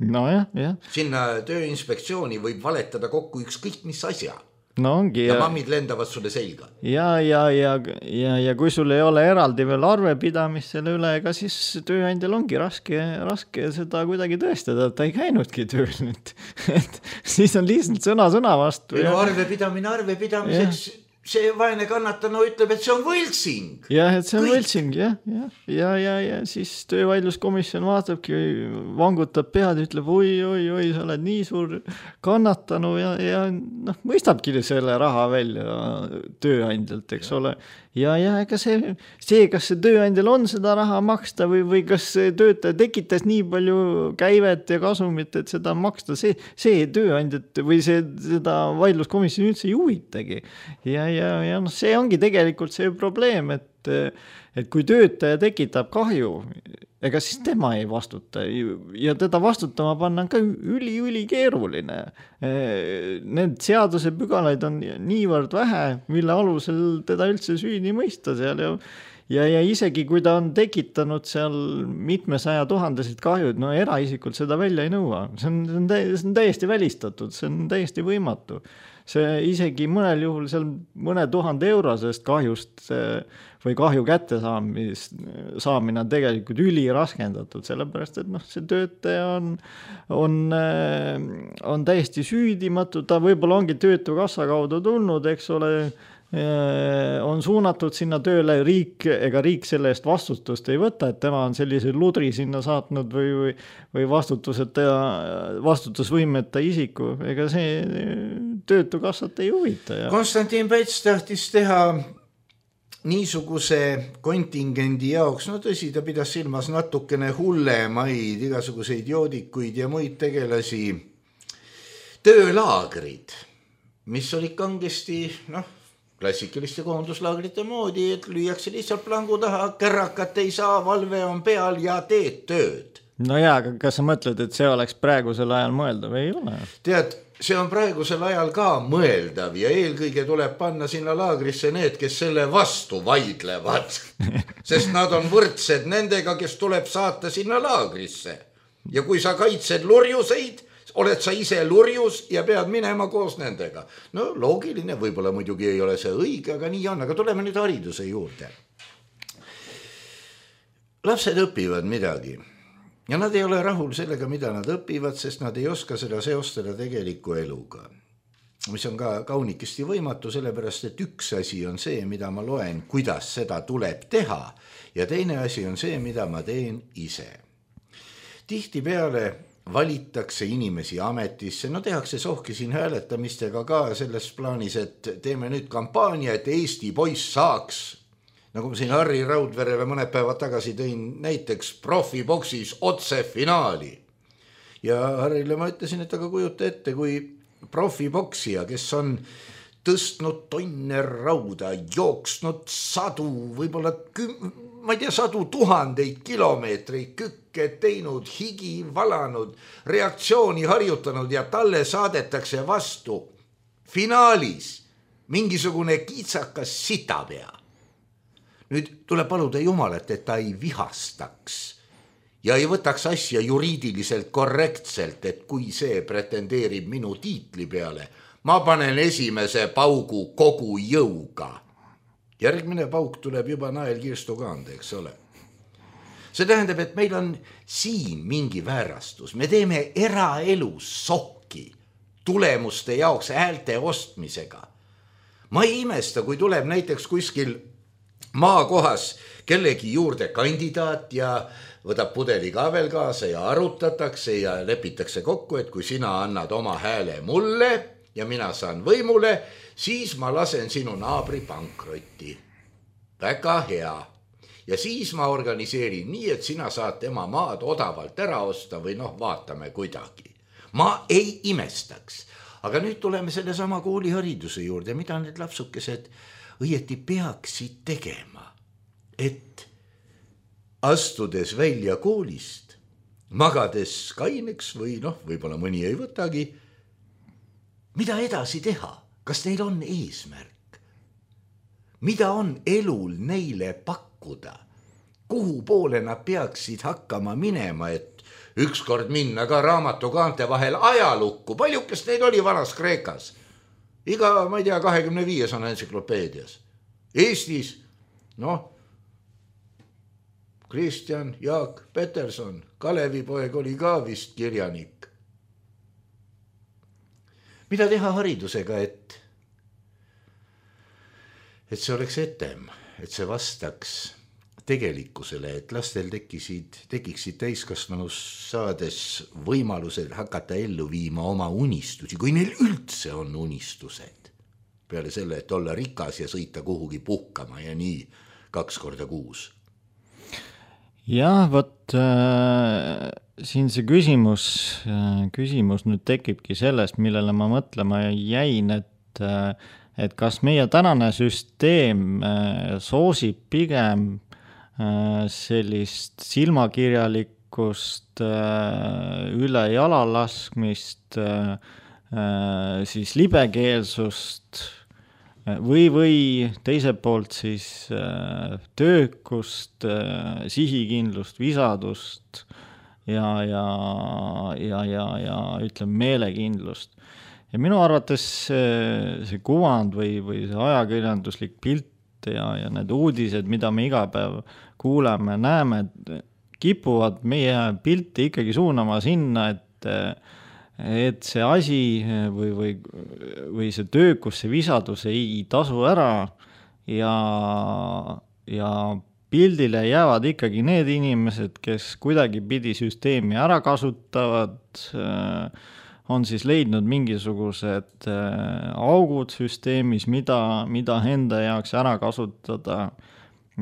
No jah, jah. Sinna tööinspektsiooni võib valetada kokku ükskõik mis asja. No ongi. Ja, ja mammid lendavad sulle selga. Ja, ja, ja, ja, ja kui sul ei ole eraldi veel arvepidamist selle üle, ega siis tööandjal ongi raske, raske seda kuidagi tõestada, et ta ei käinudki tööl nüüd. Et siis on lihtsalt sõna sõna vastu. No arvepidamine arvepidamiseks ja. See vaene kannatanu ütleb, et see on võltsing. Jah, et see on kõik. Võltsing, jah, jah. Ja, ja, ja siis töövaidluskomisjon vaatabki, vangutab pead ja ütleb, oi, oi, oi, sa oled nii suur kannatanu ja, ja noh, mõistabki selle raha välja tööandjalt, eks ja. Ole. Ja, ja ega see, see, kas see tööandjal on seda raha maksta või, või kas see töötaja tekitas nii palju käivet ja kasumit, et seda maksta, see, see tööandjat või see, seda vaidluskomisjoni üldse ei huvitagi. Ja, ja, ja noh, see ongi tegelikult see probleem, et, et kui töötaja tekitab kahju, ega siis tema ei vastuta ja teda vastutama panna on ka üli, üli keeruline. Need seaduse pügalaid on niivõrd vähe, mille alusel teda üldse süüdi mõista seal ja Ja, ja isegi kui ta on tekitanud seal mitmesaja tuhandesid kahjud, no eraisikult seda välja ei nõua. See on, see on, tä- see on täiesti välistatud, see on täiesti võimatu. See isegi mõnel juhul seal mõne tuhande eurosest kahjust või kahju kätte saamine on tegelikult üli raskendatud, sellepärast, et noh, see töötaja on, on, on täiesti süüdimatu, ta võib-olla ongi töötukassa kaudu tulnud, eks ole, on suunatud sinna tööle, riik, ega riik selle eest vastutust ei võta, et tema on sellise ludri sinna saatnud või, või, või vastutuseta, vastutusvõimeta isiku, ega see töötukassat ei huvita. Ja. Konstantin Päts tahtis teha niisuguse kontingendi jaoks, no tõsi, ta pidas silmas natukene hullemaid, igasuguseid joodikuid ja muid tegelasi, töölaagrid, mis oli kangesti, noh, klassikaliste koonduslaagrite moodi, et lüüakse lihtsalt plangu taha, kärrakat ei saa, valve on peal ja teed tööd. No jaa, aga kas sa mõtled, et see oleks praegusel ajal mõeldav või ei ole? Tead, see on praegusel ajal ka mõeldav ja eelkõige tuleb panna sinna laagrisse need, kes selle vastu vaidlevad, sest nad on võrdsed nendega, kes tuleb saata sinna laagrisse. Ja kui sa kaitsed lurjuseid, oled sa ise lurjus ja pead minema koos nendega. No loogiline, võib-olla muidugi ei ole see õige, aga nii on, aga tuleme nüüd hariduse juurde. Lapsed õpivad midagi ja nad ei ole rahul sellega, mida nad õpivad, sest nad ei oska seda seostada tegeliku eluga. Mis on ka kaunikesti võimatu, sellepärast, et üks asi on see, mida ma loen, kuidas seda tuleb teha, ja teine asi on see, mida ma teen ise. Tihti peale valitakse inimesi ametisse, no tehakse sohki siin hääletamistega ka selles plaanis, et teeme nüüd kampaania, et Eesti poiss saaks, nagu ma siin Harri Raudverele mõned päevad tagasi tõin näiteks profiboksis otse finaali. Ja Harrile ma ütlesin, et aga kujuta ette, kui profiboksija, kes on tõstnud tonne rauda, jooksnud sadu, võib-olla küm... ma ei tea, sadu tuhandeid kilomeetreid kükke teinud, higi valanud, reaktsiooni harjutanud ja talle saadetakse vastu finaalis mingisugune kitsakas sitapea. Nüüd tuleb paluda Jumalat, et ta ei vihastaks ja ei võtaks asja juriidiliselt korrektselt, et kui see pretendeerib minu tiitli peale, ma panen esimese paugu kogu jõuga. Järgmine pauk tuleb juba nael kirstu kaande, eks ole. See tähendab, et meil on siin mingi väärastus. Me teeme eraelus sohki tulemuste jaoks häälte ostmisega. Ma ei imesta, kui tuleb näiteks kuskil maakohas kellegi juurde kandidaat ja võtab pudeli ka veel kaasa ja arutatakse ja lepitakse kokku, et kui sina annad oma hääle mulle ja mina saan võimule, siis ma lasen sinu naabri pankrotti. Väga hea. Ja siis ma organiseerin nii, et sina saad tema maad odavalt ära osta või noh, vaatame kuidagi. Ma ei imestaks. Aga nüüd tuleme selle sama koolihariduse juurde, mida need lapsukesed õieti peaksid tegema. Et astudes välja koolist, magades kaineks või noh, võib-olla mõni ei võtagi, mida edasi teha? Kas neil on eesmärk? Mida on elul neile pakkuda? Kuhu poole nad peaksid hakkama minema, et ükskord minna ka raamatu kaante vahel ajalukku? Paljukest neid oli vanas Kreekas. Iga, ma ei tea, kahekümne viies on entsüklopeedias. Eestis, noh, Kristjan Jaak Peterson, Kalevipoeg oli ka vist kirjanik. Mida teha haridusega, et, et see oleks etem, et see vastaks tegelikkusele, et lastel tekisid, tekiksid täiskasvanus saades võimalused hakata ellu viima oma unistusi, kui neil üldse on unistused. Peale selle, et olla rikas ja sõita kuhugi puhkama ja nii kaks korda kuus. Jah, võt... Äh... siin see küsimus, küsimus nüüd tekibki sellest, millele ma mõtlema jäin, et, et kas meie tänane süsteem soosib pigem sellist silmakirjalikkust, üle jala laskmist, siis libekeelsust või, või teiselt poolt siis töökust, sihikindlust, visadust ja, ja, ja, ja, ja ütleme meelekindlust. Ja minu arvates see, see kuvand või, või see ajakirjanduslik pilt ja, ja need uudised, mida me iga päev kuuleme, näeme, kipuvad meie pilti ikkagi suunama sinna, et, et see asi või, või, või see töökus, see visadus ei tasu ära ja, ja pildile jäävad ikkagi need inimesed, kes kuidagi pidi süsteemi ära kasutavad, on siis leidnud mingisugused augud süsteemis, mida, mida enda jaoks ära kasutada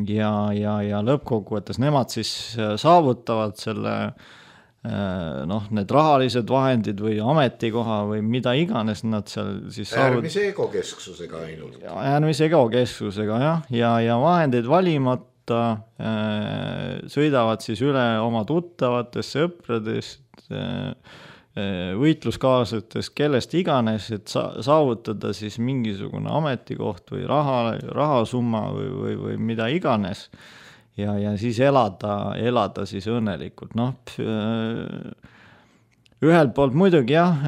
ja, ja, ja lõppkokkuvõttes nemad siis saavutavad selle, noh, need rahalised vahendid või ametikoha või mida iganes nad seal siis saavut... Äärmise egokesksusega ainult. Äärmise egokesksusega, jah, ja, ja vahendeid valimata sõidavad siis üle oma tuttavatest, sõpradest, võitluskaaslatest, kellest iganes, et saavutada siis mingisugune ametikoht või raha, rahasumma või, või, või mida iganes ja, ja siis elada, elada siis õnnelikult. Noh, ühelt poolt muidugi jah,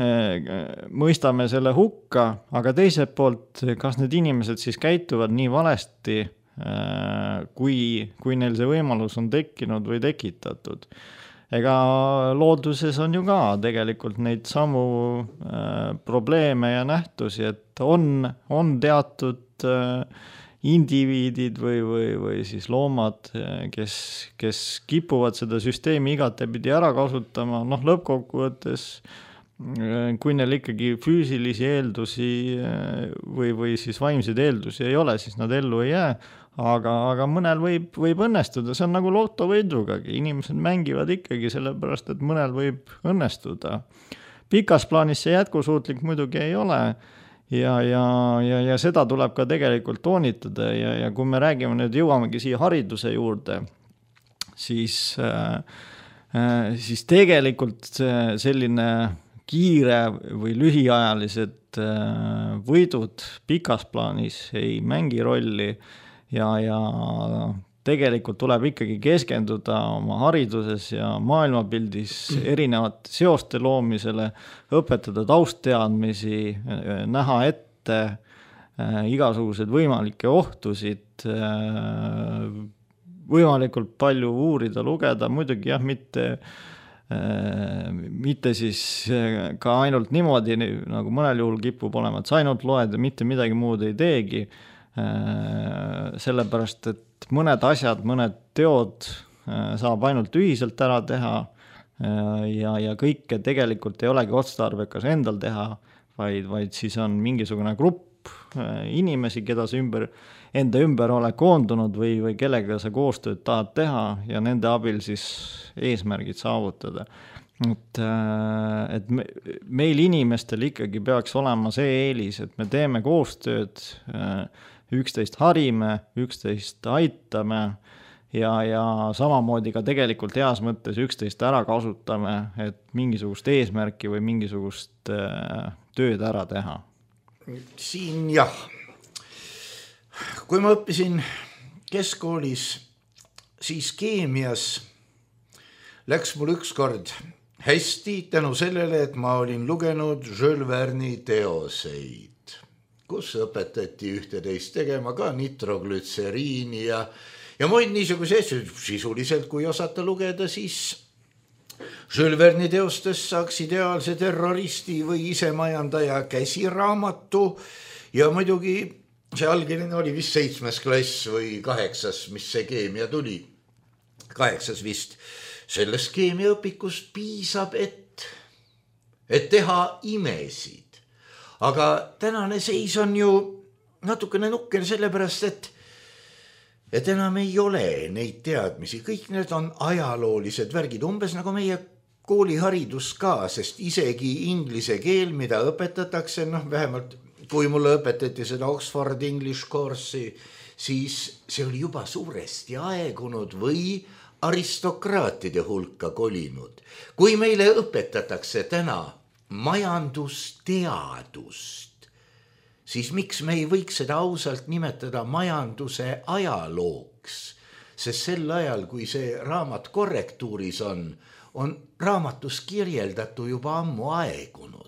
mõistame selle hukka, aga teiselt poolt, kas need inimesed siis käituvad nii valesti, kui, kui neil see võimalus on tekkinud või tekitatud. ega looduses on ju ka tegelikult neid samu äh, probleeme ja nähtusi, et on, on teatud äh, indiviidid või, või, või siis loomad, kes, kes kipuvad seda süsteemi igatepidi ära kasutama, noh lõppkokkuvõttes kui neil ikkagi füüsilisi eeldusi või, või siis vaimseid eeldusi ei ole, siis nad ellu ei jää, aga, aga mõnel võib, võib õnnestuda, see on nagu lotovõidugagi, inimesed mängivad ikkagi sellepärast, et mõnel võib õnnestuda. Pikas plaanis see jätkusuutlik muidugi ei ole ja, ja, ja, ja seda tuleb ka tegelikult toonitada ja, ja kui me räägime nüüd, jõuamegi siia hariduse juurde, siis, äh, siis tegelikult selline kiire või lühiajalised võidud pikas plaanis ei mängi rolli ja, ja tegelikult tuleb ikkagi keskenduda oma hariduses ja maailmapildis erinevate seoste loomisele, õpetada taustteadmisi, näha ette igasugused võimalikke ohtusid, võimalikult palju uurida, lugeda, muidugi jah, mitte mitte siis ka ainult niimoodi, nagu mõnel juhul kipub olema, et sa ainult loed ja mitte midagi muud ei teegi, sellepärast, et mõned asjad, mõned teod saab ainult ühiselt ära teha ja, ja kõike tegelikult ei olegi otstarbekas endal teha, vaid, vaid siis on mingisugune grupp inimesi, keda sa ümber, enda ümber ole koondunud või, või kellega sa koostööd tahad teha ja nende abil siis eesmärgid saavutada. Et, et me, meil inimestel ikkagi peaks olema see eelis, et me teeme koostööd, üksteist harime, üksteist aitame ja, ja samamoodi ka tegelikult heas mõttes üksteist ära kasutame, et mingisugust eesmärki või mingisugust tööd ära teha. Siin jah, kui ma õppisin keskkoolis, siis keemias läks mul ükskord hästi tänu sellele, et ma olin lugenud Jules Verne'i teoseid, kus õpetati ühteteist tegema ka nitroglütseriini ja, ja muid niisuguse asju. Sisuliselt, kui osata lugeda, siis Jules Verne'i teostest saaks ideaalse terroristi või isemajandaja käsiraamatu ja muidugi see algeline oli vist seitsmes klass või kaheksas, mis see keemia tuli. Kaheksas vist. Sellest keemiaõpikust piisab, et, et teha imesid. Aga tänane seis on ju natukene nukker sellepärast, et, et enam ei ole neid teadmisi. Kõik need on ajaloolised värgid, umbes nagu meie kooliharidus ka, sest isegi inglise keel, mida õpetatakse, noh vähemalt kui mulle õpetati seda Oxford English course'i, siis see oli juba suuresti aegunud või aristokraatide hulka kolinud. Kui meile õpetatakse täna majandusteadust, siis miks me ei võiks seda ausalt nimetada majanduse ajalooks? Sest sel ajal, kui see raamat korrektuuris on, on raamatus kirjeldatu juba ammu aegunud.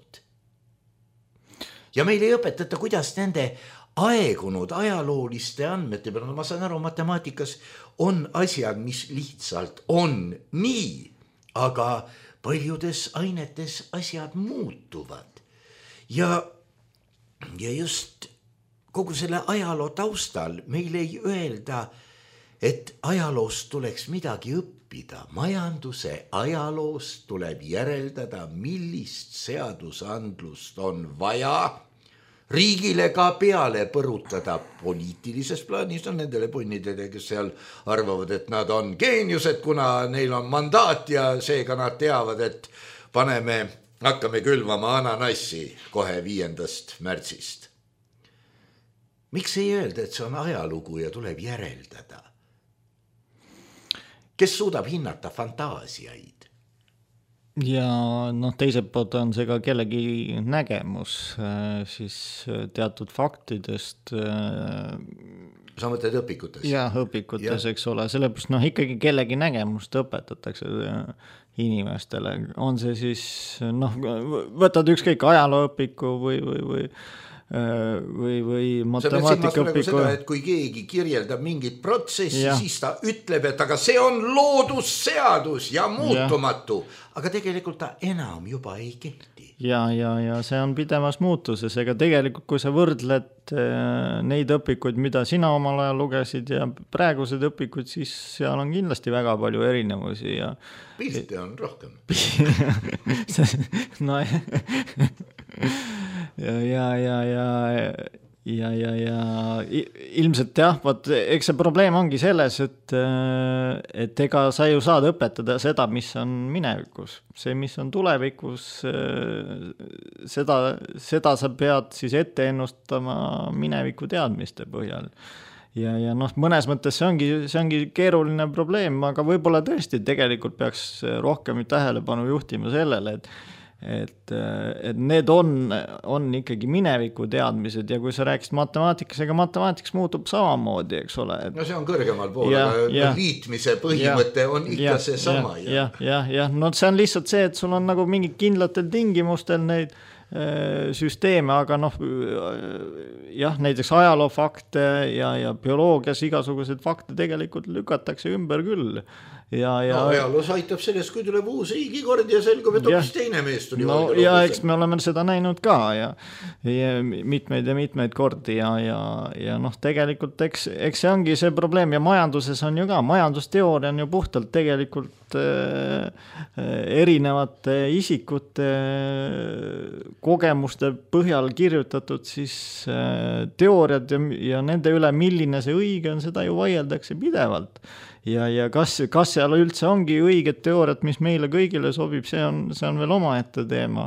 Ja meil ei õpetata, kuidas nende aegunud ajalooliste andmete peale, ma saan aru, matemaatikas on asjad, mis lihtsalt on nii, aga paljudes ainetes asjad muutuvad. Ja, ja just kogu selle ajaloo taustal meil ei öelda, et ajaloost tuleks midagi õppida. Majanduse ajaloost tuleb järeldada, millist seadusandlust on vaja riigile ka peale põrutada poliitilises plaanis. On nendele punnidele, kes seal arvavad, et nad on geeniused, kuna neil on mandaat ja seega nad teavad, et paneme, hakkame külvama ananassi kohe viiendast märtsist. Miks ei öelda, et see on ajalugu ja tuleb järeldada? Kes suudab hinnata fantaasiaid? Ja noh, teiselt poolt on see ka kellegi nägemus siis teatud faktidest. Sa mõtled õpikutes? Jah, õpikutes, ja. Eks ole. Sellepärast noh, ikkagi kellegi nägemust õpetatakse inimestele. On see siis, noh, võtad ükskõik ajalooõpiku või, või, või või, või matemaatikaõpiku. Et kui keegi kirjeldab mingit protsessi, ja. Siis ta ütleb, et aga see on loodusseadus ja muutumatu, ja. Aga tegelikult ta enam juba ei kehti. Ja, ja, ja see on pidevas muutuses, ega tegelikult kui sa võrdled neid õpikuid, mida sina omal ajal lugesid ja praegused õpikud, siis seal on kindlasti väga palju erinevusi ja pilte on rohkem. no ja, ja, ja, ja, ja, ja, ja ilmselt jah, vaat, eks see probleem ongi selles, et, et ega sa ju saad õpetada seda, mis on minevikus. See, mis on tulevikus, seda, seda sa pead siis ette ennustama mineviku teadmiste põhjal. Ja, ja noh, mõnes mõttes see ongi, see ongi keeruline probleem, aga võib-olla tõesti tegelikult peaks rohkem tähelepanu juhtima sellele, et et, et need on, on ikkagi mineviku teadmised ja kui sa rääkisid matemaatikas, ega matemaatikas muutub samamoodi, eks ole. Et... no see on kõrgemal pool, ja, aga ja, liitmise põhimõte ja, on ikka ja, see sama. Ja, ja, ja, ja, no see on lihtsalt see, et sul on nagu mingid kindlatel tingimustel neid süsteeme, aga noh, jah, näiteks ajaloofakte ja, ja bioloogias igasugused fakte tegelikult lükatakse ümber küll. Ja, ja... No, ajaloos aitab sellest, kui tuleb uus riigikord ja selgub, et hoopis teine mees tuli. No ja eks me oleme seda näinud ka ja, ja mitmeid ja mitmeid kordi ja, ja, ja noh, tegelikult eks, eks see ongi see probleem ja majanduses on ju ka, majandusteooria on ju puhtalt tegelikult äh, erinevate isikute kogemuste põhjal kirjutatud siis äh, teooriad ja, ja nende üle, milline see õige on, seda ju vaieldakse pidevalt. Ja, ja kas, kas seal üldse ongi õiged teooriat, mis meile kõigile sobib, see on, see on veel omaette teema.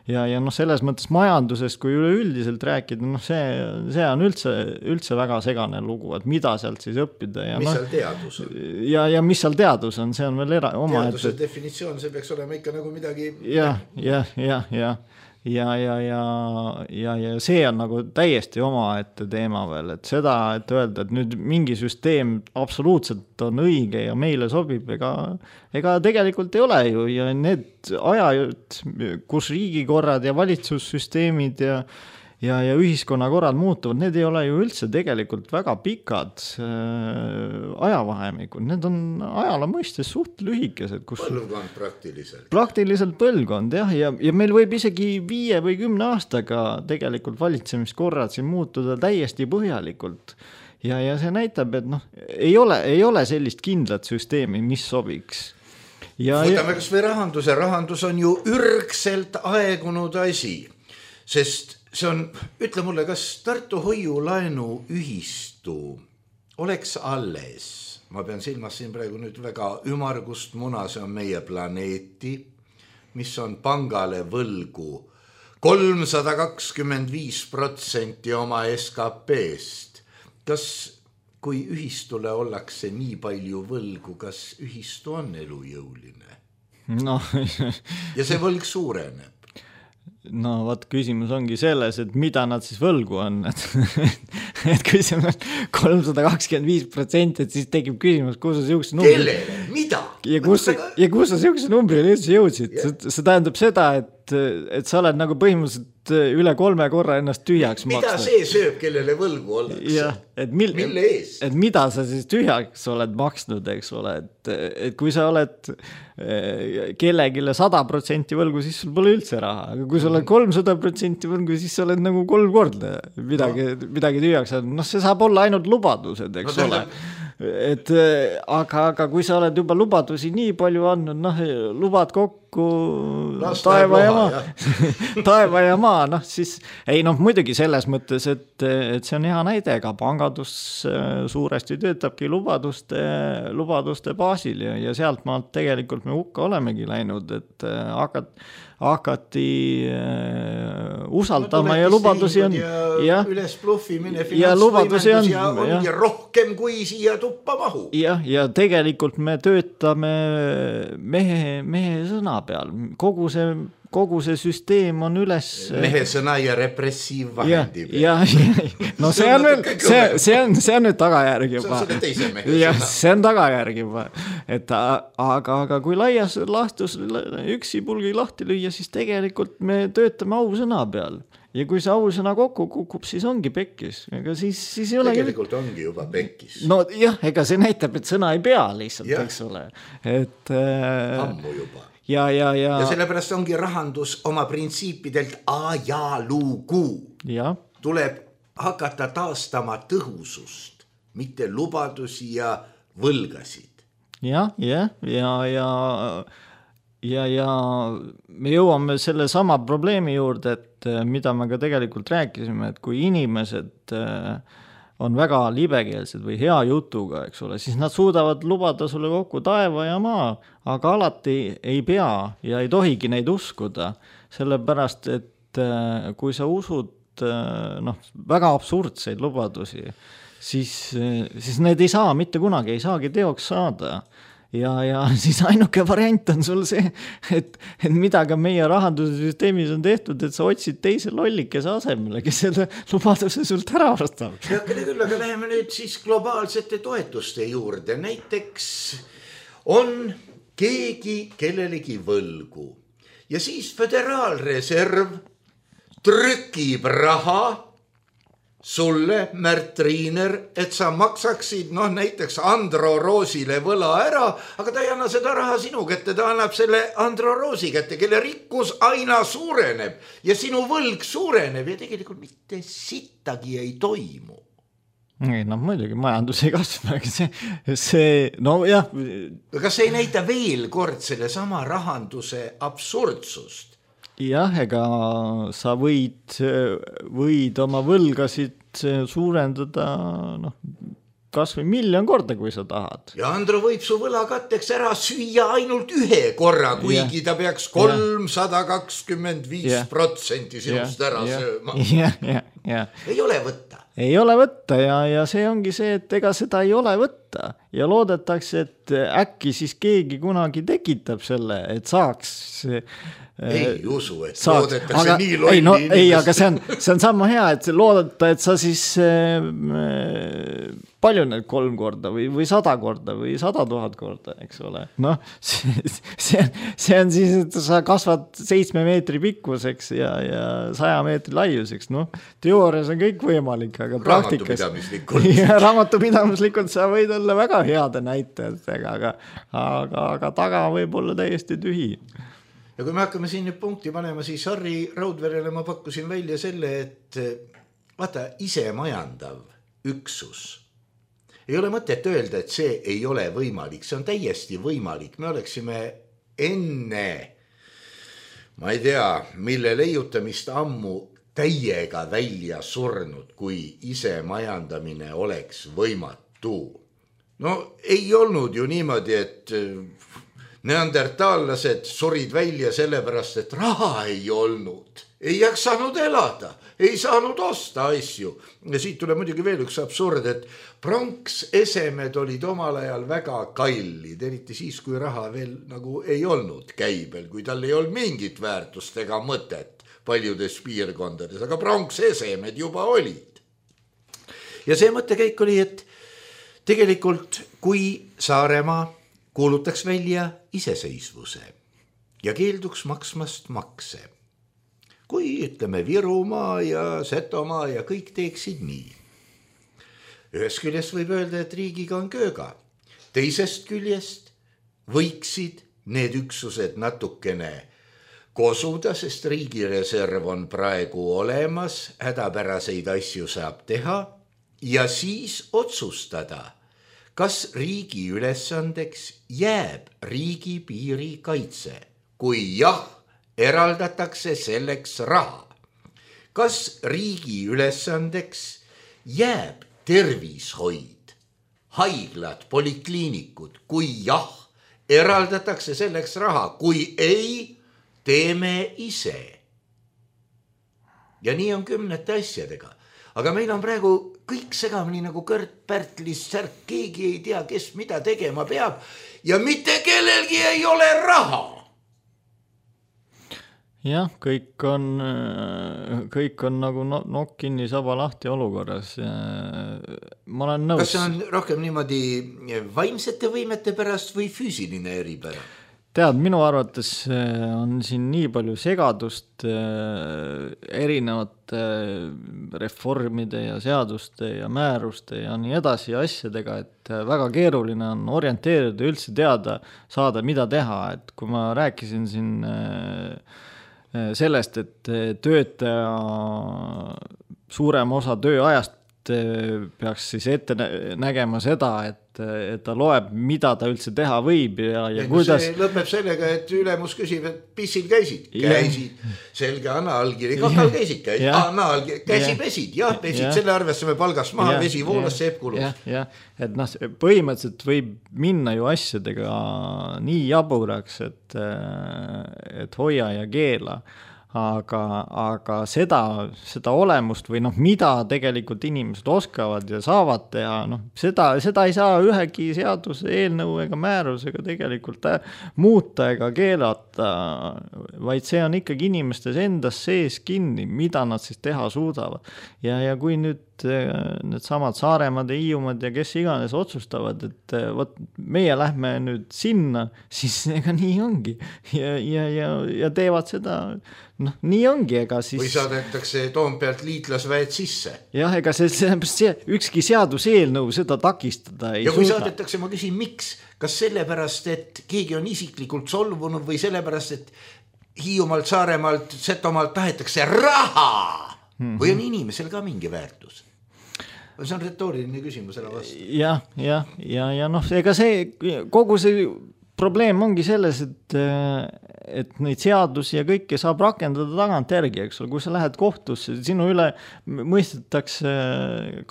Ja, ja noh, selles mõttes majandusest, kui üleüldiselt rääkida, noh see, see on üldse, üldse väga segane lugu, et mida sealt siis õppida. Ja mis no, seal teadus on? Ja, ja mis seal teadus on, see on veel era, oma teaduse ette... definitsioon, see peaks olema ikka nagu midagi... Ja, ja, ja, ja. Ja, ja, ja, ja, ja see on nagu täiesti omaette teema veel, et seda, et öelda, et nüüd mingi süsteem absoluutselt on õige ja meile sobib, ega, ega tegelikult ei ole ju ja need ajad, kus riigikorrad ja valitsussüsteemid ja Ja, ja ühiskonnakorrad muutuvad, need ei ole ju üldse tegelikult väga pikad äh, ajavahemikud, need on ajala mõistes suht lühikesed. Kus põlvkond praktiliselt. Praktiliselt põlvkond, jah, ja, ja meil võib isegi viie või kümne aastaga tegelikult valitsemiskorrad siin muutuda täiesti põhjalikult. Ja, ja see näitab, et noh, ei ole, ei ole sellist kindlat süsteemi, mis sobiks. Ja, võtame kas või rahanduse, rahandus on ju ürgselt aegunud asi, sest see on, ütle mulle, kas Tartu hoiulaenu ühistu oleks alles, ma pean silmas siin praegu nüüd väga ümargust muna, see on meie planeeti, mis on pangale võlgu kolmsada kakskümmend viis protsenti oma S K P-st. Kas, kui ühistule ollakse nii palju võlgu, kas ühistu on elujõuline? No. Ja see võlg suureneb. No vaat küsimus ongi selles, et mida nad siis võlgu on, et, et kui see on kolmsada kakskümmend viis protsenti, et siis tekib küsimus, kus sa siukse numbri... Kellele? Mida? Ja kus, ja kus sa siukse numbrile üldse jõudsid? See, see tähendab seda, et, et sa oled nagu põhimõtteliselt üle kolme korra ennast tühjaks mida maksnud. See sööb, kellele võlgu ollakse? Ja, et mil, mille ees? Et mida sa siis tühjaks oled maksnud, eks ole, et, et kui sa oled kellegile sada protsenti võlgu, siis sul pole üldse raha, aga kui sa oled kolmsada protsenti võlgu, siis sa oled nagu kolm korda midagi, no. midagi tühjaks. No see saab olla ainult lubadused, eks no, ole. Et, aga, aga kui sa oled juba lubadusi nii palju andnud, noh, lubad kokku taeva ja maa, taeva ja maa, noh siis, ei noh, muidugi selles mõttes, et, et see on hea näide, ega pangandus suuresti töötabki lubaduste, lubaduste baasil ja, ja sealt maalt tegelikult me hukka olemegi läinud, et hakat, hakati äh, usaldama no, ja lubadusi on ja, ja üles bluffimine finantsvõimendus ja on ja. rohkem kui siia tuppa mahu. Ja, ja tegelikult me töötame mehe, mehe sõna peal, kogu see kogu see süsteem on üles mehe sõna ja repressiivvahendi peal. Ja, ja, no see on, see, see on, see on nüüd tagajärg juba. See on teise mehe ja, sõna. See on tagajärg juba. Et, aga, aga kui laias lahtus üksi pulgi lahti lüüa, siis tegelikult me töötame au sõna peal. ja kui see ausõna kokku kukub, siis ongi pekkis. Ega siis, siis ei ole tegelikult küll... ongi juba pekkis. No jah, ega see näitab, et sõna ei pea lihtsalt, ja. Eks ole. Et, äh... ammu juba. Ja, ja, ja... ja sellepärast ongi rahandus oma printsiipidelt ajalugu. Ja. Tuleb hakata taastama tõhusust, mitte lubadusi ja võlgasid. Ja, ja, ja, ja, ja, ja me jõuame selle sama probleemi juurde, et mida me ka tegelikult rääkisime, et kui inimesed on väga libekeelsed või hea jutuga, eks ole, siis nad suudavad lubada sulle kokku taeva ja maa, aga alati ei pea ja ei tohigi neid uskuda, sellepärast, et kui sa usud noh, väga absurdseid lubadusi, siis, siis need ei saa mitte kunagi, ei saagi teoks saada. Ja, ja siis ainuke variant on sul see, et, et mida ka meie rahandussüsteemis on tehtud, et sa otsid teise lollikese asemele, kes selle lubaduse sult ära vastab. Ja küll, aga läheme nüüd siis globaalsete toetuste juurde. Näiteks on keegi kellelegi võlgu ja siis Föderaalreserv trükib raha sulle, Märt Riiner, et sa maksaksid noh, näiteks Andro Roosile võla ära, aga ta ei anna seda raha sinu kätte, ta annab selle Andro Roosi kätte, kelle rikkus aina suureneb ja sinu võlg suureneb ja tegelikult mitte sittagi ei toimu. Ei, no muidugi majandus ei kasva, see, see, no jah. Kas ei näita veel kord selle sama rahanduse absurdsust? Jah, ega sa võid, võid oma võlgasid suurendada noh, kas või miljon korda, kui sa tahad. Ja Andro võib su võlakatteks ära süüa ainult ühe korra, kuigi ja. Ta peaks kolmsada kakskümmend viis protsenti sinust ja. Ära ja. Sööma. Ja, ja, ja. Ei ole võtta. Ei ole võtta ja, ja see ongi see, et ega seda ei ole võtta ja loodetakse, et äkki siis keegi kunagi tekitab selle, et saaks ei usu, et saaks. Loodetakse aga, nii lolli ei, no, inimest. Ei, aga see on, see on sama hea, et loodeta, et sa siis äh, palju need kolm korda või, või sada korda või sada tuhat korda, eks ole. Noh, see, see, see on siis, et sa kasvad seitsme meetri pikkuseks ja, ja saja meetri laiuseks. Noh, teoorias on kõik võimalik, aga praktikas ja, raamatupidamislikult sa võid olla väga heade näitajatega, aga, aga, aga taga võib olla täiesti tühi. Ja kui me hakkame siin nüüd punkti panema, siis Harri Raudverele ma pakkusin välja selle, et vaata, ise majandav üksus. Ei ole mõtet öelda, et see ei ole võimalik, see on täiesti võimalik. Me oleksime enne, ma ei tea, mille leiutamist ammu täiega välja surnud, kui ise majandamine oleks võimatu. No ei olnud ju niimoodi, et neandertaallased surid välja sellepärast, et raha ei olnud. Ei jaksanud elada, ei saanud osta asju. Ja siit tuleb muidugi veel üks absurd, et pronksesemed olid omal ajal väga kallid, eriti siis, kui raha veel nagu ei olnud käibel, kui tal ei olnud mingit väärtust ega mõtet paljudes piirkondades, aga pronksesemed juba olid. Ja see mõttekäik oli, et tegelikult kui Saaremaa kuulutaks välja iseseisvuse ja keelduks maksmast makse. Kui ütleme Virumaa ja Setomaa ja kõik teeksid nii. Ühest küljest võib öelda, et riigiga on kööga. Teisest küljest võiksid need üksused natukene kosuda, sest riigireserv on praegu olemas, hädapäraseid asju saab teha ja siis otsustada, kas riigi ülesandeks jääb riigi piiri kaitse, kui jah, eraldatakse selleks raha. Kas riigi ülesandeks jääb tervishoid, haiglad, polikliinikud, kui jah, eraldatakse selleks raha, kui ei, teeme ise. Ja nii on kümnete asjadega. Aga meil on praegu kõik segamini nagu Kõrt Pärtlis särk, keegi ei tea, kes mida tegema peab ja mitte kellelgi ei ole raha. Jah, kõik on, kõik on nagu nokk kinni saba lahti olukorras. Ma olen nõus. Kas see on rohkem niimoodi vaimsete võimete pärast või füüsiline eripära? tead, minu arvates on siin nii palju segadust erinevate reformide ja seaduste ja määruste ja nii edasi asjadega, et väga keeruline on orienteerida üldse teada saada, mida teha, et kui ma rääkisin siin sellest, et töötaja suurem osa tööajast peaks siis ette nägema seda, et, et ta loeb, mida ta üldse teha võib ja, ja, ja kuidas... See lõpeb sellega, et ülemus küsib, et pissil käisid, käisid, ja. Selge anna allkiri, kakal käisid, käisid, anna allkiri, käsi ja. Pesid, jah, pesid, ja. Selle arvesse me palgast maha, ja. Vesi voolas, seep kulus. Ja, ja. Et noh, põhimõtteliselt võib minna ju asjadega nii jaburaks, et, et hoia ja keela. Aga, aga seda, seda olemust või noh, mida tegelikult inimesed oskavad ja saavad teha, noh, seda, seda ei saa ühegi seaduse eelnõu ega määrusega tegelikult muuta ega keelata, vaid see on ikkagi inimestes endas sees kinni, mida nad siis teha suudavad. Ja, ja kui nüüd need samad Saaremaad ja Hiiumaad ja kes iganes otsustavad, et võt, meie lähme nüüd sinna, siis ega nii ongi ja, ja, ja, ja teevad seda, noh, nii ongi, ega siis... Või saadetakse Toompealt liitlasväed sisse. Jah, ega see, see ükski seaduseelnõu seda takistada ei ja kui suuda. Saadetakse, ma küsin, miks? Kas sellepärast, et keegi on isiklikult solvunud või sellepärast, et Hiiumaalt, Saaremaalt, Setomaalt tahetakse raha mm-hmm. või on inimesel ka mingi väärtus? See on retooriline küsimus ära vastu. Jah, jah, ja, ja noh, ega see, kogu see probleem ongi selles, et, et neid seadusi ja kõike saab rakendada tagant järgi, eks ole, kui sa lähed kohtusse, sinu üle mõistetakse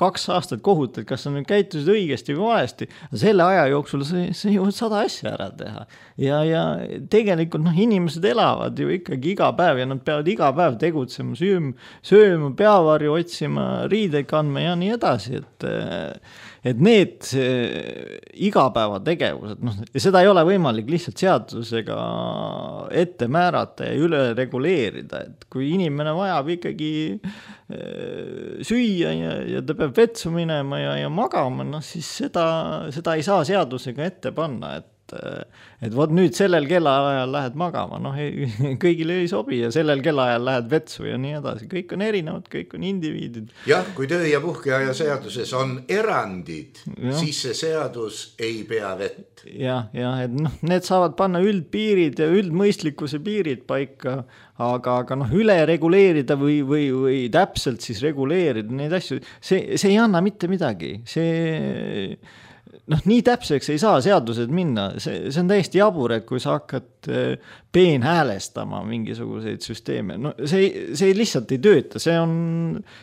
kaks aastat kohut, et kas sa nüüd käitusid õigesti või valesti, selle aja jooksul sa, sa jõuad sada asja ära teha. Ja, ja tegelikult noh, inimesed elavad ju ikkagi iga päev ja nad peavad iga päev tegutsema, sööma, sööma peavarju otsima, riideid kandma ja nii edasi, et et need igapäevategevused, noh, ja seda ei ole võimalik lihtsalt seadusega ette määrata ja üle reguleerida, et kui inimene vajab ikkagi süüa ja, ja ta peab vetsu minema ja, ja magama, noh, siis seda, seda ei saa seadusega ette panna, et et vot nüüd sellel kellaajal lähed magama, noh, kõigile ei sobi ja sellel kellaajal lähed vetsu ja nii edasi, kõik on erinevad, kõik on indiviidid. Jah, kui töö- ja puhkeaja seaduses on erandid, ja. Siis see seadus ei pea vett. Jah, ja, et noh, need saavad panna üldpiirid ja üldmõistlikkuse piirid paika, aga, aga noh, üle reguleerida või, või, või täpselt siis reguleerida neid asju, see, see ei anna mitte midagi, see... noh, nii täpseks ei saa seadused minna, see, see on täiesti jabur, et kui sa hakkad peenhäälestama mingisuguseid süsteeme, no see, see lihtsalt ei tööta, see on,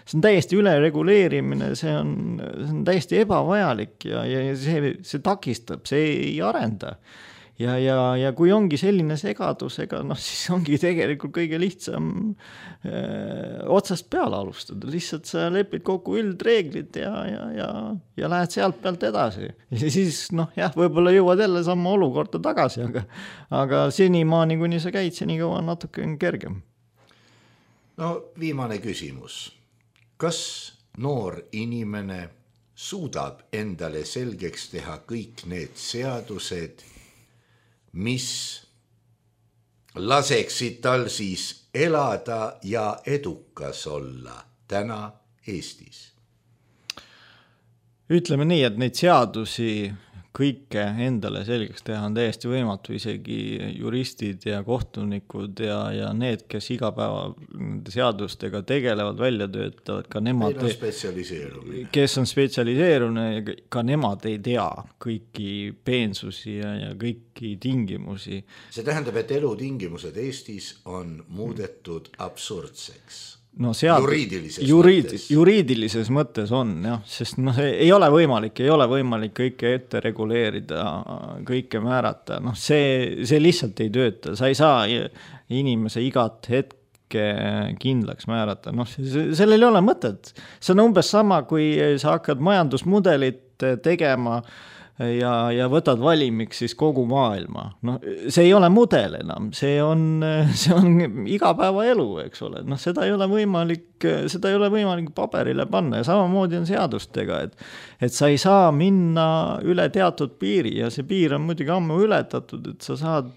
see on täiesti üle reguleerimine, see on, see on täiesti ebavajalik ja, ja see, see takistab, see ei arenda. Ja, ja, ja kui ongi selline segadusega, noh siis ongi tegelikult kõige lihtsam öö, otsast peale alustada. Lihtsalt sa lepid kokku üldreeglid ja, ja, ja, ja lähed sealt pealt edasi. Ja siis, noh jah, võib-olla jõuad jälle samma olukorda tagasi, aga, aga senimaani, kuni sa käid, seni kaua natuke on kergem. No viimane küsimus. Kas noor inimene suudab endale selgeks teha kõik need seadused, mis laseksid tal siis elada ja edukas olla täna Eestis? Ütleme nii, et neid seadusi kõike endale selgeks teha on täiesti võimatu, isegi juristid ja kohtunikud ja, ja need, kes iga päeva seadustega tegelevad, välja töötavad, ka nemad, on spetsialiseerumine. kes on spetsialiseerunud, ka nemad ei tea kõiki peensusi ja, ja kõiki tingimusi. See tähendab, et elutingimused Eestis on muudetud absurdseks. No sead, juriidilises, juriid, mõttes. juriidilises mõttes on, jah, sest noh, ei ole võimalik, ei ole võimalik kõike ette reguleerida, kõike määrata, noh, see, see lihtsalt ei tööta, sa ei saa inimese igat hetke kindlaks määrata, noh, sellel ei ole mõtet, see on umbes sama, kui sa hakkad majandusmudelit tegema ja, ja võtad valimiks siis kogu maailma. No, see ei ole mudel enam, see on, see on igapäeva elu, eks ole. No, seda ei ole võimalik, seda ei ole võimalik paberile panna ja samamoodi on seadustega, et, et sa ei saa minna üle teatud piiri ja see piir on muidugi ammu ületatud, et sa saad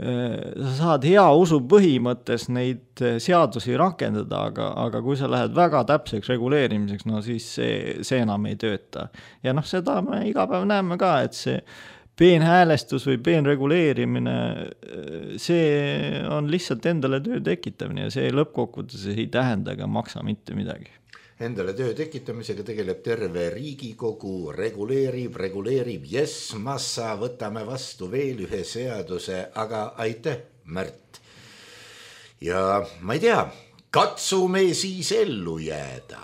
sa saad hea usu põhimõttes neid seadusi rakendada, aga, aga kui sa lähed väga täpseks reguleerimiseks, no siis see, see enam ei tööta. Ja noh, seda me iga päev näeme ka, et see peenhäälestus või peenreguleerimine, see on lihtsalt endale töö tekitamine ja see lõppkokkuvõttes ei tähenda ega maksa mitte midagi. Endale töö tekitamisega tegeleb terve Riigikogu, reguleerib, reguleerib, jess, massa, võtame vastu veel ühe seaduse, aga aitäh, Märt. Ja ma ei tea, katsume siis ellu jääda.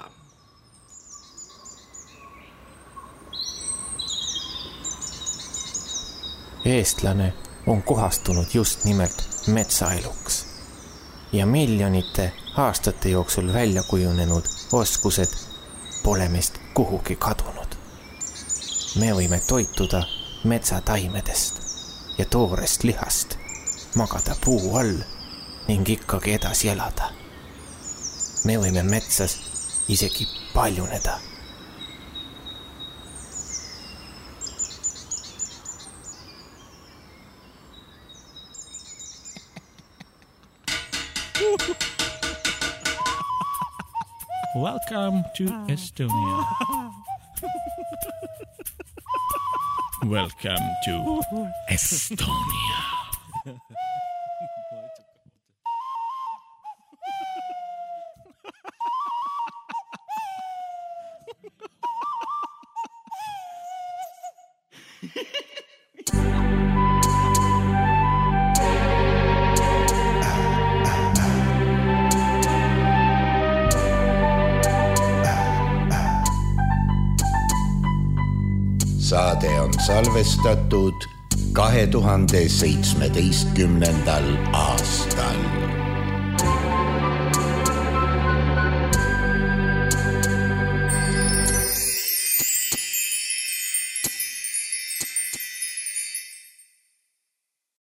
Eestlane on kohastunud just nimelt metsaeluks ja miljonite aastate jooksul välja kujunenud oskused pole meist kuhugi kadunud. Me võime toituda metsataimedest ja toorest lihast, magada puu all ning ikkagi edasi elada. Me võime metsas isegi paljuneda. Welcome to Estonia. Welcome to Estonia. Saade on salvestatud kahe tuhande seitsmeteistkümnendal aastal.